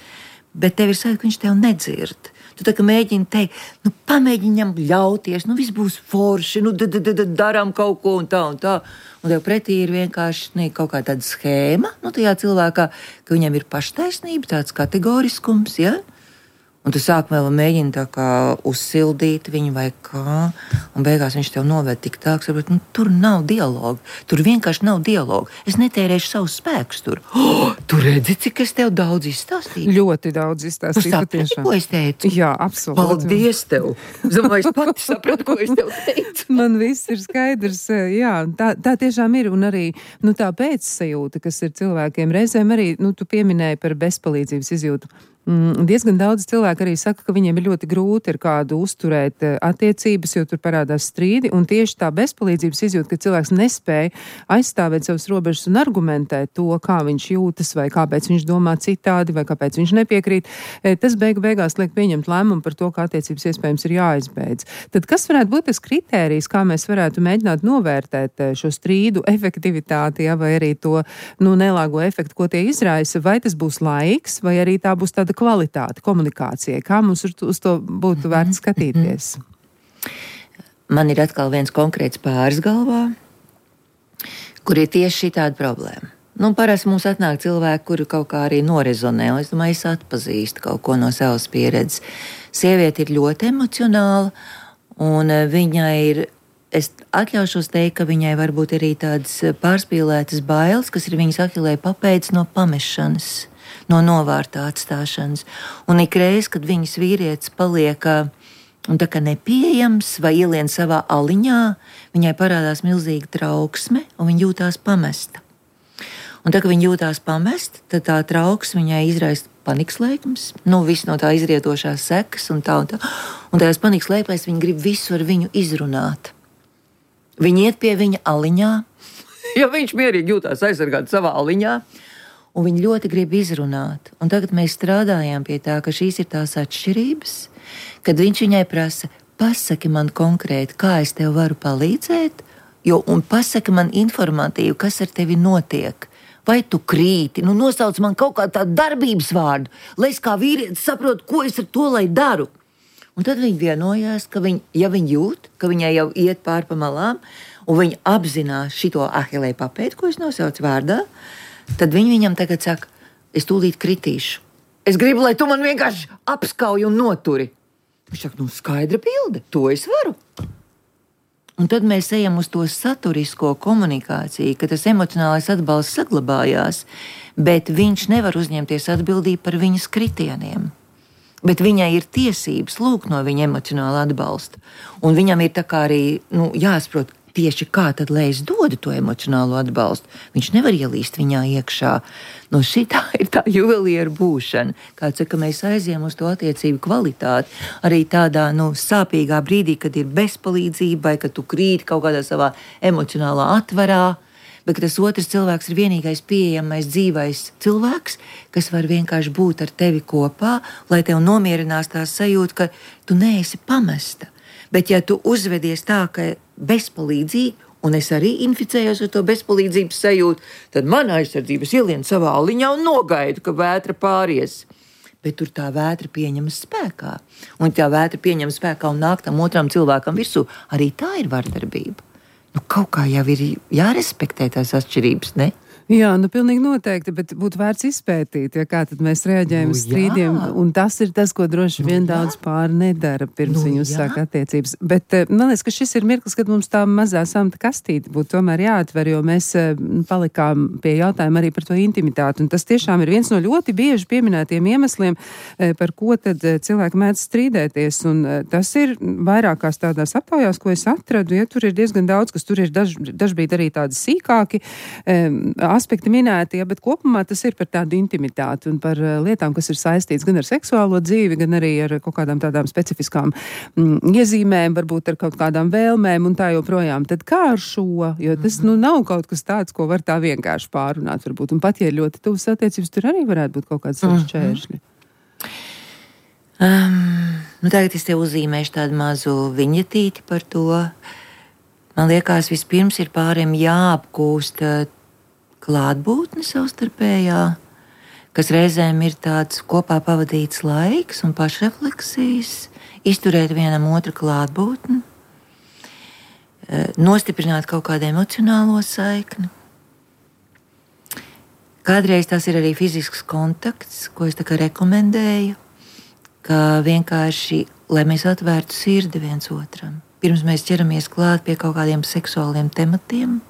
bet tev ir sajūta, ka viņš tev nedzird. Tu tā kā mēģini teikt, nu, pamēģinam ļauties, nu, viss būs forši, nu, darām kaut ko un tā un tā. Un tev pretī ir vienkārši ne, kaut kā tāda schēma, nu, tajā cilvēkā, ka viņam ir paštaisnība, tāds kategoriskums, ja? Un tu sākumā vēl mēģini tā kā uzsildīt viņu vai kā, un beigās viņš tev noved tik tā, ka nu, tur nav dialogu, tur vienkārši nav dialogu. Es netērēšu savus spēkus tur. Oh, tu redzi, cik es tev daudz izstāstīju? Ļoti daudz izstāstīju, patiešām. Ko es teicu? Jā, absolūti. Paldies tev! Es domāju, es pati sapratu, ko es tev teicu. Man viss ir skaidrs, jā, tā, tā tiešām ir, un arī, nu, tā pēcsajūta, kas ir cilvēkiem reizēm arī, nu, tu pieminēji par bezpalīdzības izjūtu. Mm, diezgan daudz cilvēku arī saka, ka viņiem ir ļoti grūti ar kādu uzturēt attiecības, jo tur parādās strīdi, un tieši tā bezpalīdzības izjūta, ka cilvēks nespēja aizstāvēt savas robežas un argumentēt to, kā viņš jūtas, vai kāpēc viņš domā citādi, vai kāpēc viņš nepiekrīt, tas beigu beigās liek pieņemt lēmumu par to, kā attiecības iespējams ir jāizbeidz. Tad kas varētu būt tas kritērijs, kā mēs varētu mēģināt novērtēt šo strīdu efektivitāti, ja, vai arī to, nu, nelāgo efektu, ko tie izraisa, vai tas būs laiks, vai arī tā būs tāda kvalitāte komunikācijai? Kā mums uz to būtu vērts skatīties? Man ir atkal viens konkrēts pāris galvā, kur ir tieši šī tāda problēma. Nu, parasti mums atnāk cilvēki, kuri kaut kā arī norezonē, un es domāju, es atpazīstu kaut ko no savas pieredzes. Sieviete ir ļoti emocionāla, un viņai ir, es atļaušos teikt, ka viņai varbūt arī tādas pārspīlētas bailes, kas ir viņas ahilē papēdis no pamešanas, no novārtā atstāšanas. Un ikreiz, kad viņas vīrietis paliek un tā kā nepieejams vai ielien savā aliņā, viņai parādās milzīga trauksme un viņa jūtās pamesta. Un tā, ka viņa jūtās pamest, tad tā trauksme viņai izraisa panikas lēkmes, nu, viss no tā izrietošās sekas un tā un tā. Un tajās panikas lēkmēs viņa grib visu ar viņu izrunāt. Viņa iet pie viņa aliņā, jo viņš mierīgi jūtās aizsargāt savā aliņā, un viņi ļoti grib izrunāt. Un tagad mēs strādājām pie tā, ka šīs ir tās atšķirības, kad viņš viņai prasa, pasaki man konkrēti, kā es tev varu palīdzēt, jo, un pasaki man informatīvi, kas ar tevi notiek. Vai tu krīti, nu nosauc man kaut kādu tādu darbības vārdu, lai es kā vīrietis saprotu, ko es ar to lai daru. Un tad viņi vienojās, ka viņi, ja viņi jūt, ka viņai jau iet pār pa malām, un viņi apzinās šito ahilēju papēdi, ko es nosaucu vārdā, tad viņi viņam tagad saka, es tūlīt kritīšu. Es gribu, lai tu man vienkārši apskauj un noturi. Viņš saka, nu skaidra bilde, to es varu. Un tad mēs ejam uz to saturisko komunikāciju, ka tas emocionālais atbalsts saglabājās, bet viņš nevar uzņemties atbildību par viņas kritieniem. Bet viņai ir tiesības lūgt no viņa emocionāla atbalsta. Un viņam ir tā kā arī nu, jāsaprot, tieši kā tad, lai es dodu to emocionālo atbalstu. Viņš nevar ielīst viņā iekšā. No šitā ir tā juvelieru būšana. Kā saka, mēs aizjām uz to attiecību kvalitāti. Arī tādā nu, sāpīgā brīdī, kad ir bezpalīdzība, vai kad tu krīti kaut kādā savā emocionālā atvarā, bet tas otrs cilvēks ir vienīgais pieejamais dzīvais cilvēks, kas var vienkārši būt ar tevi kopā, lai tev nomierinās tā sajūta, ka tu neesi pamesta. Bet ja tu uzvedies tā, ka bezpalīdzīgi, un es arī inficējos ar to bezpalīdzības sajūtu, tad mana aizsardzības ielien savā aliņā un nogaidu, ka vētra pāries. Bet tur tā vētra pieņemas spēkā. Un tā vētra pieņemas spēkā un nāk tam otram cilvēkam virsū. Arī tā ir vardarbība. Nu, kaut kā jau ir jārespektē tās atšķirības, ne? Jā, nu pilnīgi noteikti, bet būtu vērts izpētīt, ja kā tad mēs reaģējam uz nu, strīdiem, un tas ir tas, ko droši vien nu, daudz pāri nedara, pirms nu, viņi uzsāk attiecības. Bet man liekas, ka šis ir mirklis, kad mums tā mazā samta kastīte būtu tomēr jāatver, jo mēs palikām pie jautājuma arī par to intimitāti, un tas tiešām ir viens no ļoti bieži pieminētiem iemesliem, par ko tad cilvēki mēdz strīdēties, un tas ir vairākās tādās aptaujās, ko es atradu, ja tur ir diezgan daudz, kas tur ir daž, dažbrīd arī tādi sīkāki aspekti minēti, ja, bet kopumā tas ir par tādu intimitāti un par lietām, kas ir saistīts gan ar seksuālo dzīvi, gan arī ar kaut kādām tādām specifiskām mm, iezīmēm, varbūt ar kaut kādām vēlmēm un tā joprojām. Tad kā ar šo? Jo tas nu nav kaut kas tāds, ko var tā vienkārši pārunāt, varbūt. Un pat, ja ir ļoti tuvas attiecības, tur arī varētu būt kaut kāds šķēršļi. Um, nu tagad es tev uzzīmēšu tādu mazu viņetīti par to. Man liekas, vispirms ir pāriem jāapgūst klātbūtne savstarpējā, kas reizēm ir tāds kopā pavadīts laiks un pašrefleksijas, izturēt vienam otru klātbūtni, nostiprināt kaut kādu emocionālo saikni. Kādreiz tas ir arī fizisks kontakts, ko es tā kā rekomendēju, ka vienkārši, lai mēs atvērtu sirdi viens otram, pirms mēs ķeramies klāt pie kaut kādiem seksuāliem tematiem,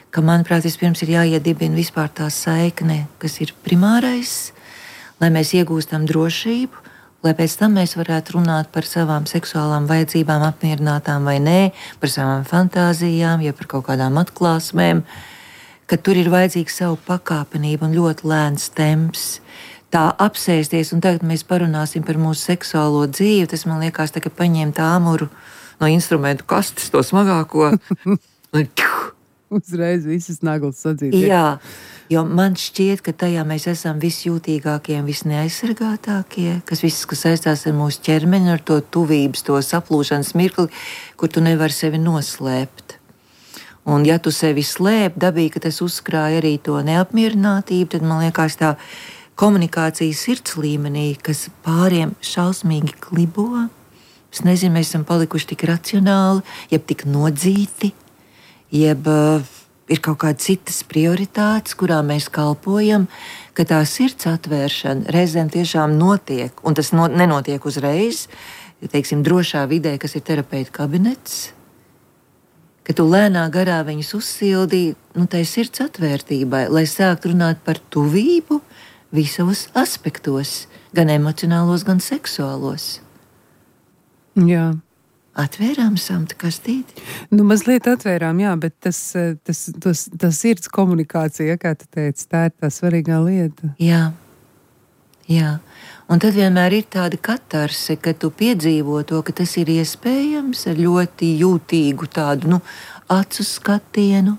ka, manuprāt, vispirms ir jāiedibina vispār tā saikne, kas ir primārais, lai mēs iegūstam drošību, lai pēc tam mēs varētu runāt par savām seksuālām vajadzībām, apmierinātām vai nē, par savām fantāzijām, ja par kaut kādām atklāsmēm, ka tur ir vajadzīga savu pakāpenību un ļoti lēns temps. Tā apsēsties, un tagad mēs parunāsim par mūsu seksuālo dzīvi, tas man liekas, tā, ka paņemt āmuru no instrumentu kastes, to smagāko, un uzreiz visas naglas sadzīt. Jā, jo man šķiet, ka tajā mēs esam visjūtīgākie un visneaizsargātākie, kas viss, kas saistās ar mūsu ķermeni, ar to tuvības, to saplūšanas mirkli, kur tu nevari sevi noslēpt. Un ja tu sevi slēp, dabīgi, ka tas uzkrāja arī to neapmierinātību, tad man liekas tā komunikācija sirds līmenī, kas pāriem šausmīgi klibo. Es nezinu, mēs esam palikuši tik racionāli, jeb tik nodzīti, jeb uh, ir kaut kādas citas prioritātes, kurām mēs kalpojam, ka tā sirds atvēršana reizēm tiešām notiek, un tas no, nenotiek uzreiz, teiksim, drošā vidē, kas ir terapeita kabinets, ka tu lēnā garā viņus uzsildī, nu, tai sirds atvērtībai, lai sāktu runāt par tuvību visos aspektos, gan emocionālos, gan seksuālos. Jā. Atvērām samta kastīti? Nu, mazliet atvērām, jā, bet tas, tas, tas, tas sirds komunikācija, kā tu teici, tā ir tā svarīgā lieta. Jā, jā. Un tad vienmēr ir tāda katarse, ka tu piedzīvo to, ka tas ir iespējams ar ļoti jūtīgu tādu, nu, acu skatienu,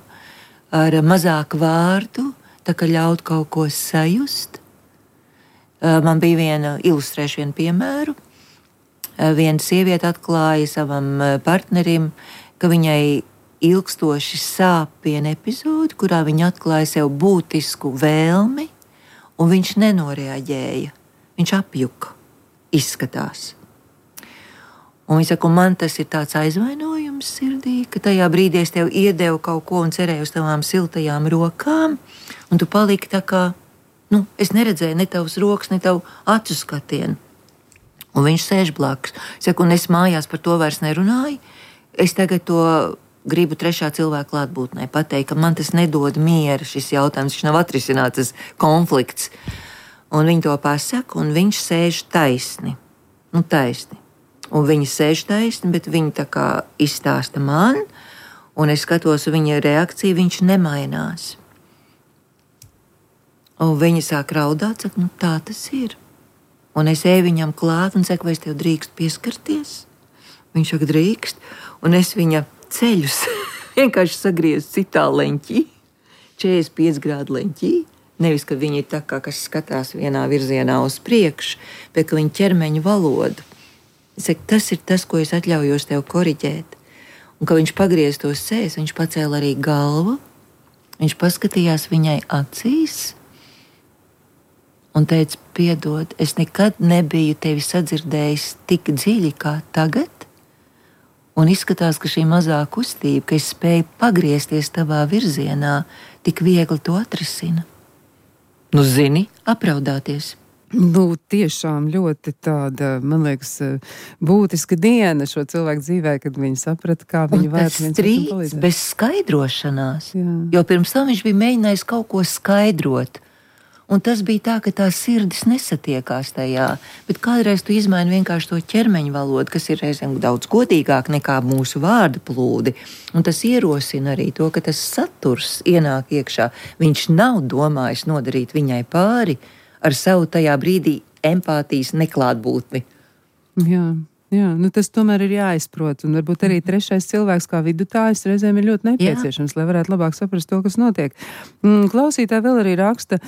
ar mazāk vārdu, tā kā ļaut kaut ko sajust. Man bija viena, ilustrēšu vienu piemēru. Viena sieviete atklāja savam partnerim, ka viņai ilgstoši sāp viena epizode, kurā viņa atklāja sev būtisku vēlmi, un viņš nenoreaģēja. Viņš apjuka, izskatās. Un viņa saka, man tas ir tāds aizvainojums sirdī, ka tajā brīdī es tev iedevu kaut ko un cerēju uz tavām siltajām rokām, un tu paliki tā kā, nu, es neredzēju ne tavas rokas, ne tavu acu skatienu. Un viņš sēž blakus. Saka, un es mājās par to vairs nerunāju. Es tagad to gribu trešā cilvēka klātbūtnē pateikt, ka man tas nedod miera šis jautājums, viņš nav atrisināts, tas konflikts. Un viņi to pasaka, un viņš sēž taisni. Nu, taisni. Un viņa sēž taisni, bet viņa tā kā izstāsta man, un es skatos viņa reakciju, viņš nemainās. Un viņa sāk raudāt, saka, nu tā tas ir. Un es eju viņam klāt un saku, vai es tev drīkst pieskarties? Viņš saka, drīkst, un es viņa ceļus vienkārši sagriezu citā leņķī, četrdesmit pieci grādu leņķī. Nevis, ka viņi ir tā kā, kas skatās vienā virzienā uz priekšu, bet ka viņa ķermeņa valodu. Es saku, tas ir tas, ko es atļaujos tev koriģēt. Un, kad viņš pagriez tos sēs, viņš pacēla arī galvu, viņš paskatījās viņai acīs un teica, piedod, es nekad nebiju tevi sadzirdējis tik dziļi kā tagad, un izskatās, ka šī mazā kustība, ka es spēju pagriezties tavā virzienā, tik viegli to atrisina. Nu, zini, apraudāties. Nu, tiešām ļoti tāda, man liekas, būtiska diena šo cilvēku dzīvē, kad viņi saprata, kā viņi vērts viens otram palīdzēt. Strīds bez skaidrošanās, Jā. jo pirms tam viņš bija mēģinājis kaut ko skaidrot. Un tas bija tā, ka tā sirdis nesatiekās tajā, bet kādreiz tu izmaini vienkārši to ķermeņa valodu, kas ir reizēm daudz godīgāk nekā mūsu vārdu plūdi. Un tas ierosina arī to, ka tas saturs ienāk iekšā. Viņš nav domājis nodarīt viņai pāri ar savu tajā brīdī empātijas neklātbūtni. Jā. Jā, nu tas tomēr ir jāizprot, un varbūt arī trešais cilvēks kā vidutājs reizēm ir ļoti nepieciešams, Jā. Lai varētu labāk saprast to, kas notiek. Klausītāji vēl arī raksta,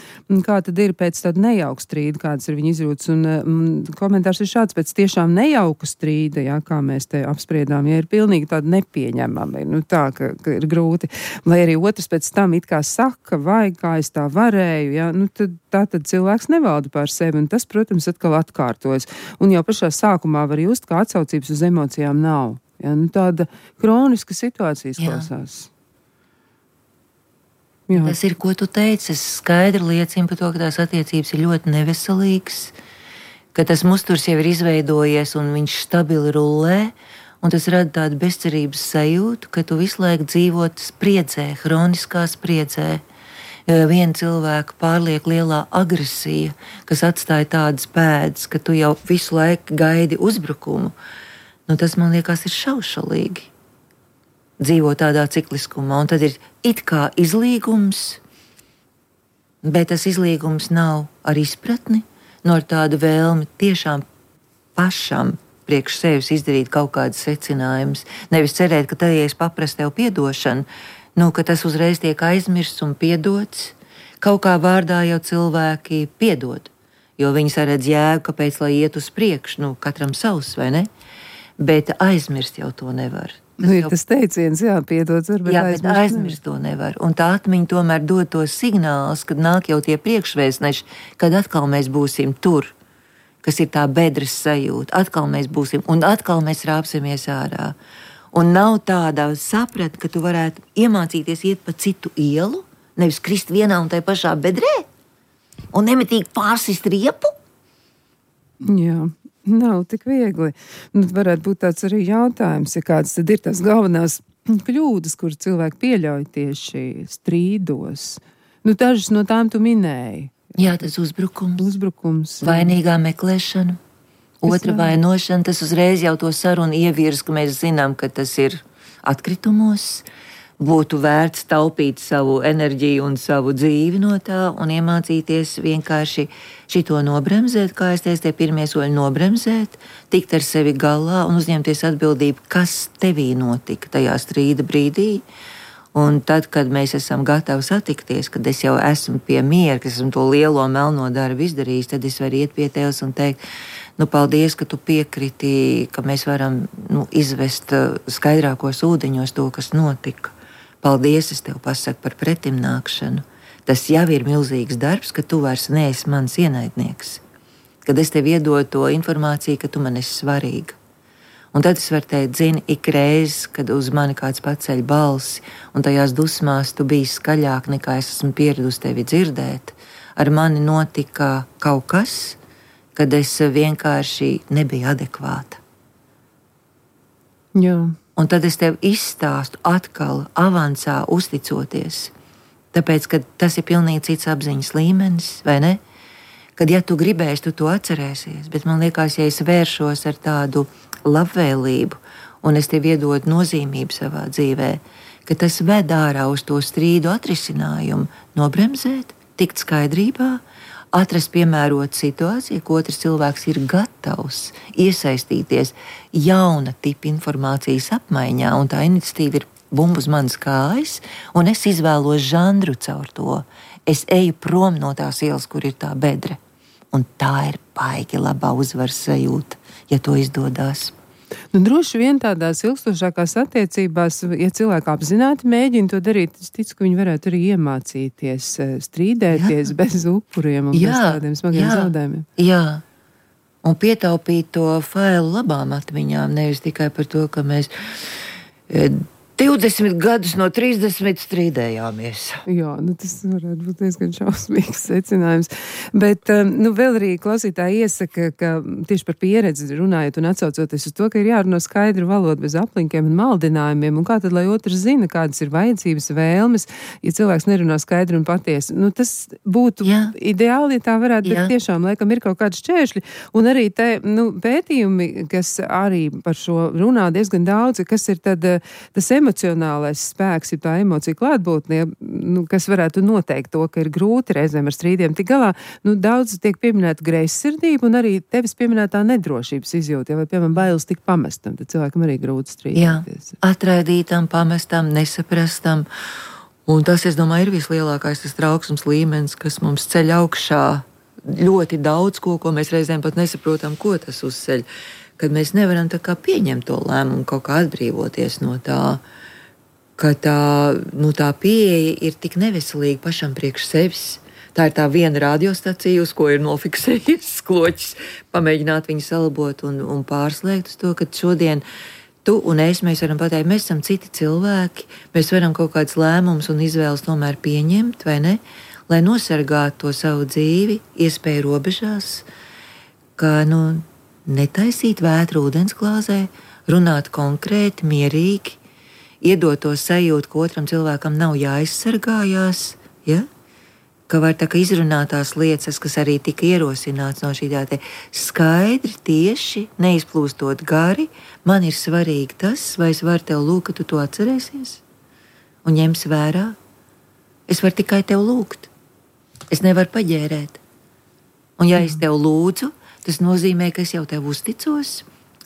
kā tad ir pēc tāda nejauka strīda, kādas ir viņa izjūtas, un mm, komentārs ir šāds, pēc tiešām nejauka strīda, jā, kā mēs te apspriedām, ja ir pilnīgi tāda nepieņemama, nu tā, ka, ka ir grūti, lai arī otrs pēc tam it kā saka, vai kā es tā varēju, jā, nu tad tā tad cilvēks nevalda pār sevi, un tas, protams, atkal atkārtojas. Un jau pašā sākumā var just, ka atsaucības uz emocijām nav. Ja? Nu, tāda kroniska situācija izklausās. Jā. Tas ir, ko tu teici, es skaidri liecinu par to, ka tās attiecības ir ļoti neveselīgas, ka tas musturs jau ir izveidojies un viņš stabili rullē, un tas rada tādu bezcerības sajūtu, ka tu visu laiku dzīvot spriedzē, hroniskā spriedzē. Viena cilvēka pārliek lielā agresija, kas atstāja tādas pēdas, ka tu jau visu laiku gaidi uzbrukumu. Nu, tas, man liekas, ir šaušalīgi. Dzīvo tādā cikliskumā, un tad ir it kā izlīgums, bet tas izlīgums nav ar izpratni, no ar tādu vēlmi tiešām pašam priekš sevis izdarīt kaut kādas secinājumus. Nevis cerēt, ka tad, ja es paprastu tev piedošanu, nu, ka tas uzreiz tiek aizmirsts un piedots. Kaut kā vārdā jau cilvēki piedod, jo viņi saredz jēgu, kāpēc, lai iet uz priekšu, nu, katram savs, vai ne? Bet aizmirst jau to nevar. Tas nu, ir jau... tas teiciens, jā, piedots var, bet jā, aizmirst, bet aizmirst to nevar. Un tā atmiņa tomēr dod tos signālus, kad nāk jau tie priekšvēstneši, kad atkal mēs būsim tur, kas ir tā bedres sajūta, atkal mēs būsim, un atkal mēs rāpsimies ārā. Un nav tāda saprata, ka tu varētu iemācīties iet pa citu ielu, nevis krist vienā un tai pašā bedrē, un nemitīgi pārsist riepu? Jā, nav tik viegli. Nu, varētu būt tāds arī jautājums, ja kāds tad ir tās galvenās kļūdas, kuras cilvēki pieļauj tieši strīdos. Nu, dažas no tām tu minēji. Jā, tas uzbrukums. Uzbrukums. Vainīgā meklēšana. Otra vainošana, tas uzreiz jau to sarunu ievirz, ka mēs zinām, ka tas ir atkritumos, būtu vērts taupīt savu enerģiju un savu dzīvi no tā un iemācīties vienkārši šito nobremzēt, kā es teicu, tie pirmie soļi nobremzēt, tikt ar sevi galā un uzņemties atbildību, kas tevī notika tajā strīda brīdī. Un tad, kad mēs esam gatavi satikties, kad es jau esmu pie miera, ka esmu to lielo melno darbu izdarījis, tad es varu iet pie tevis un teikt, Nu, paldies, ka tu piekriti, ka mēs varam nu, izvest skaidrākos ūdeņos to, kas notika. Paldies, es tev pasaku par pretimnākšanu. Tas jau ir milzīgs darbs, ka tu vairs neesi mans ienaidnieks. Kad es tev iedodu to informāciju, ka tu man esi svarīga. Un tad es varu teikt, zini, ik reiz, kad uz mani kāds paceļ balsi, un tajās dusmās tu biji skaļāk nekā es esmu pieradusi tevi dzirdēt, ar mani notika kaut kas, kad es vienkārši nebiju adekvāta. Jā. Un tad es tev izstāstu atkal, avansā uzticoties, tāpēc, ka tas ir pilnīgi cits apziņas līmenis, vai ne? Kad, ja tu gribēsi, tu to atcerēsies, bet man liekas, ja es vēršos ar tādu labvēlību, un es tev iedodu nozīmību savā dzīvē, ka tas ved ārā uz to strīdu atrisinājumu, nobremzēt, tikt skaidrībā, atrast piemērotu situāciju, ka otrs cilvēks ir gatavs iesaistīties jauna tipa informācijas apmaiņā, un tā iniciatīva ir bumbu uz manas kājas, un es izvēlos žanru caur to. Es eju prom no tās ielas, kur ir tā bedre. Un tā ir baigi labā uzvaras sajūta, ja to izdodās. Nu, droši vien tādās ilgstošākās attiecībās, ja cilvēki apzināti mēģina to darīt, es ticu, ka viņi varētu arī iemācīties strīdēties jā. Bez upuriem un jā, bez tādiem smagiem jā, zaudējumiem. Jā, un pietaupīt to failu labām atmiņām, nevis tikai par to, ka mēs divdesmit gadus no trīsdesmit strīdējāmies. Jā, nu tas varētu būt diezgan šausmīgs secinājums. Bet, nu, vēl arī klausītāji iesaka, ka tieši par pieredzi runājot un atsaucoties uz to, ka ir jārunā skaidru valodu bez aplinkiem un maldinājumiem, un kā tad, lai otrs zina, kādas ir vajadzības, vēlmes, ja cilvēks nerunā skaidri un patiesi. Nu, tas būtu jā. Ideāli, ja tā varētu, bet tiešām laikam ir kaut kādi šķēršļi, un arī te, nu, pētījumi, kas arī par šo runā diezgan daudz, kas ir tad tas emocionālais spēks, ja tā emocija klātbūtnie, nu, kas varētu noteikt to, ka ir grūti reizēm ar strīdiem tik galā, nu, daudz tiek pieminēta greizsirdība un arī tevis pieminētā nedrošības izjūta, ja vai, piemēram, bailes tik pamestam, tad cilvēkam arī grūti strīdēties. Jā, atraidītam, pamestam, nesaprastam, un tas, es domāju, ir vislielākais tas trauksmes līmenis, kas mums ceļ augšā ļoti daudz ko, ko mēs reizēm pat nesaprotam, ko tas uzceļ, kad mēs nevaram tā kā pieņemt to lēmumu, kaut kā atbrīvoties no tā, ka tā, nu, tā pieeja ir tik neveselīga pašam priekš sevis. Tā ir tā viena radiostacija, uz ko ir nofiksējies skloķis, pamēģināt viņu salabot un, un pārslēgt uz to, ka šodien tu un es, mēs varam pateikt, mēs esam citi cilvēki, mēs varam kaut kāds lēmums un izvēles tomēr pieņemt, vai ne, lai nosargātu to savu dzīvi, iespēju robežās, ka, nu, netaisīt vētru ūdensklāzē, runāt konkrēti, mierīgi, iedot to sajūtu, ka otram cilvēkam nav jāizsargājās, ja? Ka var tā kā izrunāt tās lietas, kas arī tika ierosināts no šī tā te skaidri, tieši, neizplūstot gari, man ir svarīgi tas, vai es varu tev lūgt, ka tu to atcerēsies un ņems vērā. Es varu tikai tev lūgt. Es nevaru paģērēt. Un ja es tev lūdzu, tas nozīmē, ka es jau tev uzticos,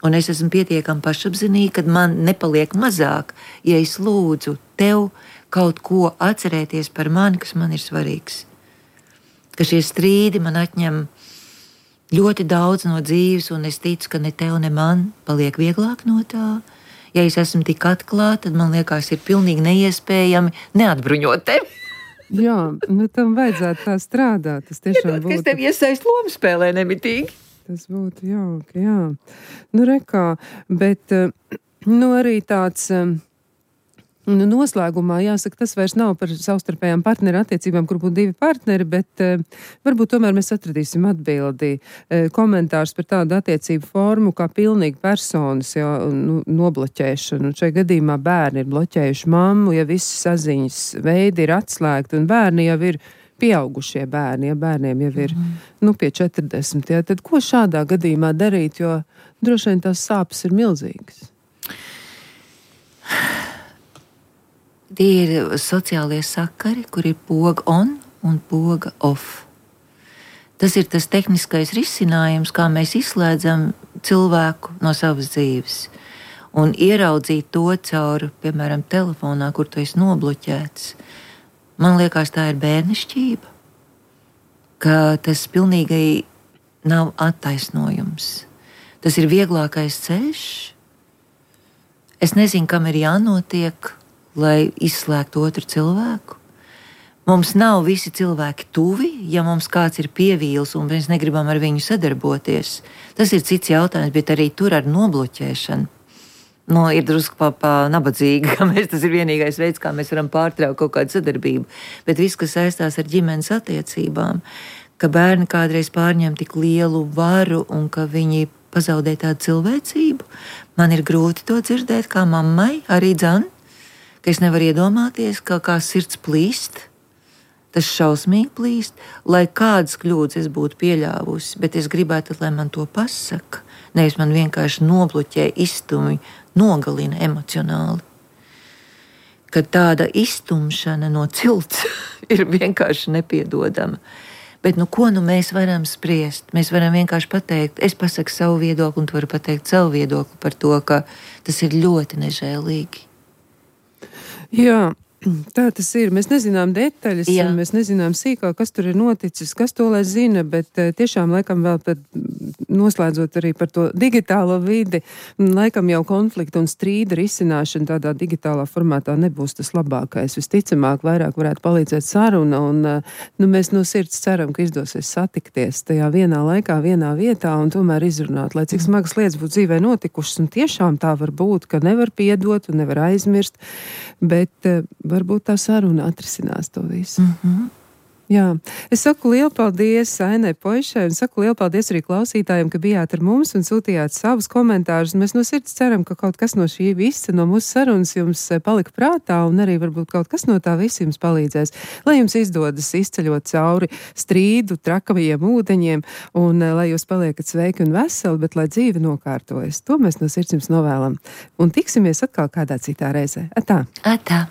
un es esmu pietiekami pašapzinīga, kad man nepaliek mazāk, ja es lūdzu tev kaut ko atcerēties par mani, kas man ir svarīgs. Ka šie strīdi man atņem ļoti daudz no dzīves, un es ticu, ka ne tev, ne man paliek vieglāk no tā. Ja es esmu tik atklāta, tad man liekas, ir pilnīgi neiespējami neatbruņot tevi. Jā, nu tam vajadzētu tā strādāt. Tas tiešām būtu. Kas tev iesaist lomu spēlē nemitīgi? Tas būtu jauki, jā. Nu, rekā, bet, nu, arī tāds, nu, noslēgumā jāsaka, tas vairs nav par savstarpējām partneru attiecībām, kur būtu divi partneri, bet varbūt tomēr mēs atradīsim atbildi. Komentārs par tādu attiecību formu kā pilnīgi personas jau, nu, nobloķēšanu. Šai gadījumā bērni ir bloķējuši mammu, ja visi saziņas veidi ir atslēgti, un bērni jau ir pieaugušie bērni, ja bērniem jau ir, mm. nu, pie četrdesmit, ja, tad ko šādā gadījumā darīt, jo droši vien tās sāpes ir milzīgas? Tie ir sociālie sakari, kur ir poga on un poga off. Tas ir tas tehniskais risinājums, kā mēs izslēdzam cilvēku no savas dzīves. Un ieraudzīt to caur, piemēram, telefonā, kur tu esi nobloķēts. Man liekas, tā ir bērnišķība, ka tas pilnīgi nav attaisnojums. Tas ir vieglākais ceļš. Es nezinu, kam ir jānotiek, lai izslēgtu otru cilvēku. Mums nav visi cilvēki tuvi, ja mums kāds ir pievīls un mēs negribam ar viņu sadarboties. Tas ir cits jautājums, bet arī tur ar nobloķēšanu. Nu, ir drusku pa, pa nabadzīgi, ka mēs, tas ir vienīgais veids, kā mēs varam pārtraukt kaut kādu sadarbību. Bet viss, kas saistās ar ģimenes attiecībām, ka bērni kādreiz pārņem tik lielu varu un ka viņi pazaudē tādu cilvēcību, man ir grūti to dzirdēt kā mammai, arī dzan, ka es nevaru iedomāties, ka kā sirds plīst, tas šausmīgi plīst, lai kādas kļūdas es būtu pieļāvusi, bet es gribētu, lai man to pasaka, nevis man vienkārši nobloķē, izstumj, nogalina emocionāli. Kad tāda izstumšana no cilts ir vienkārši nepiedodama. Bet nu, ko nu mēs varam spriest? Mēs varam vienkārši pateikt, es pasaku savu viedokli, un tu vari pateikt savu viedokli par to, ka tas ir ļoti nežēlīgi. Jā. Tā tas ir. Mēs nezinām detaļas, Jā. Mēs nezinām sīkāk, kas tur ir noticis, kas to lai zina, bet tiešām laikam vēl pat noslēdzot arī par to digitālo vidi, laikam jau konflikta un strīda risināšana tādā digitālā formātā nebūs tas labākais. Visticamāk, vairāk varētu palīdzēt saruna, un nu, mēs no sirds ceram, ka izdosies satikties tajā vienā laikā, vienā vietā un tomēr izrunāt, lai cik smagas lietas būtu dzīvē notikušas, un tiešām tā var būt, ka nevar piedot un nevar aizmirst, bet varbūt tā saruna atrisinās to visu. Mm-hmm. Jā, es saku lielu paldies Ainai Poišai un saku lielu paldies arī klausītājiem, ka bijāt ar mums un sūtījāt savus komentārus. Mēs no sirds ceram, ka kaut kas no šī visa, no mūsu sarunas jums palika prātā un arī varbūt kaut kas no tā visa jums palīdzēs. Lai jums izdodas izceļot cauri strīdu, trakavajiem ūdeņiem un lai jūs paliekat sveiki un veseli, bet lai dzīve nokārtojas. To mēs no sirds jums novēlam. Un tiksimies atkal kādā citā reizē. Atā! Atā!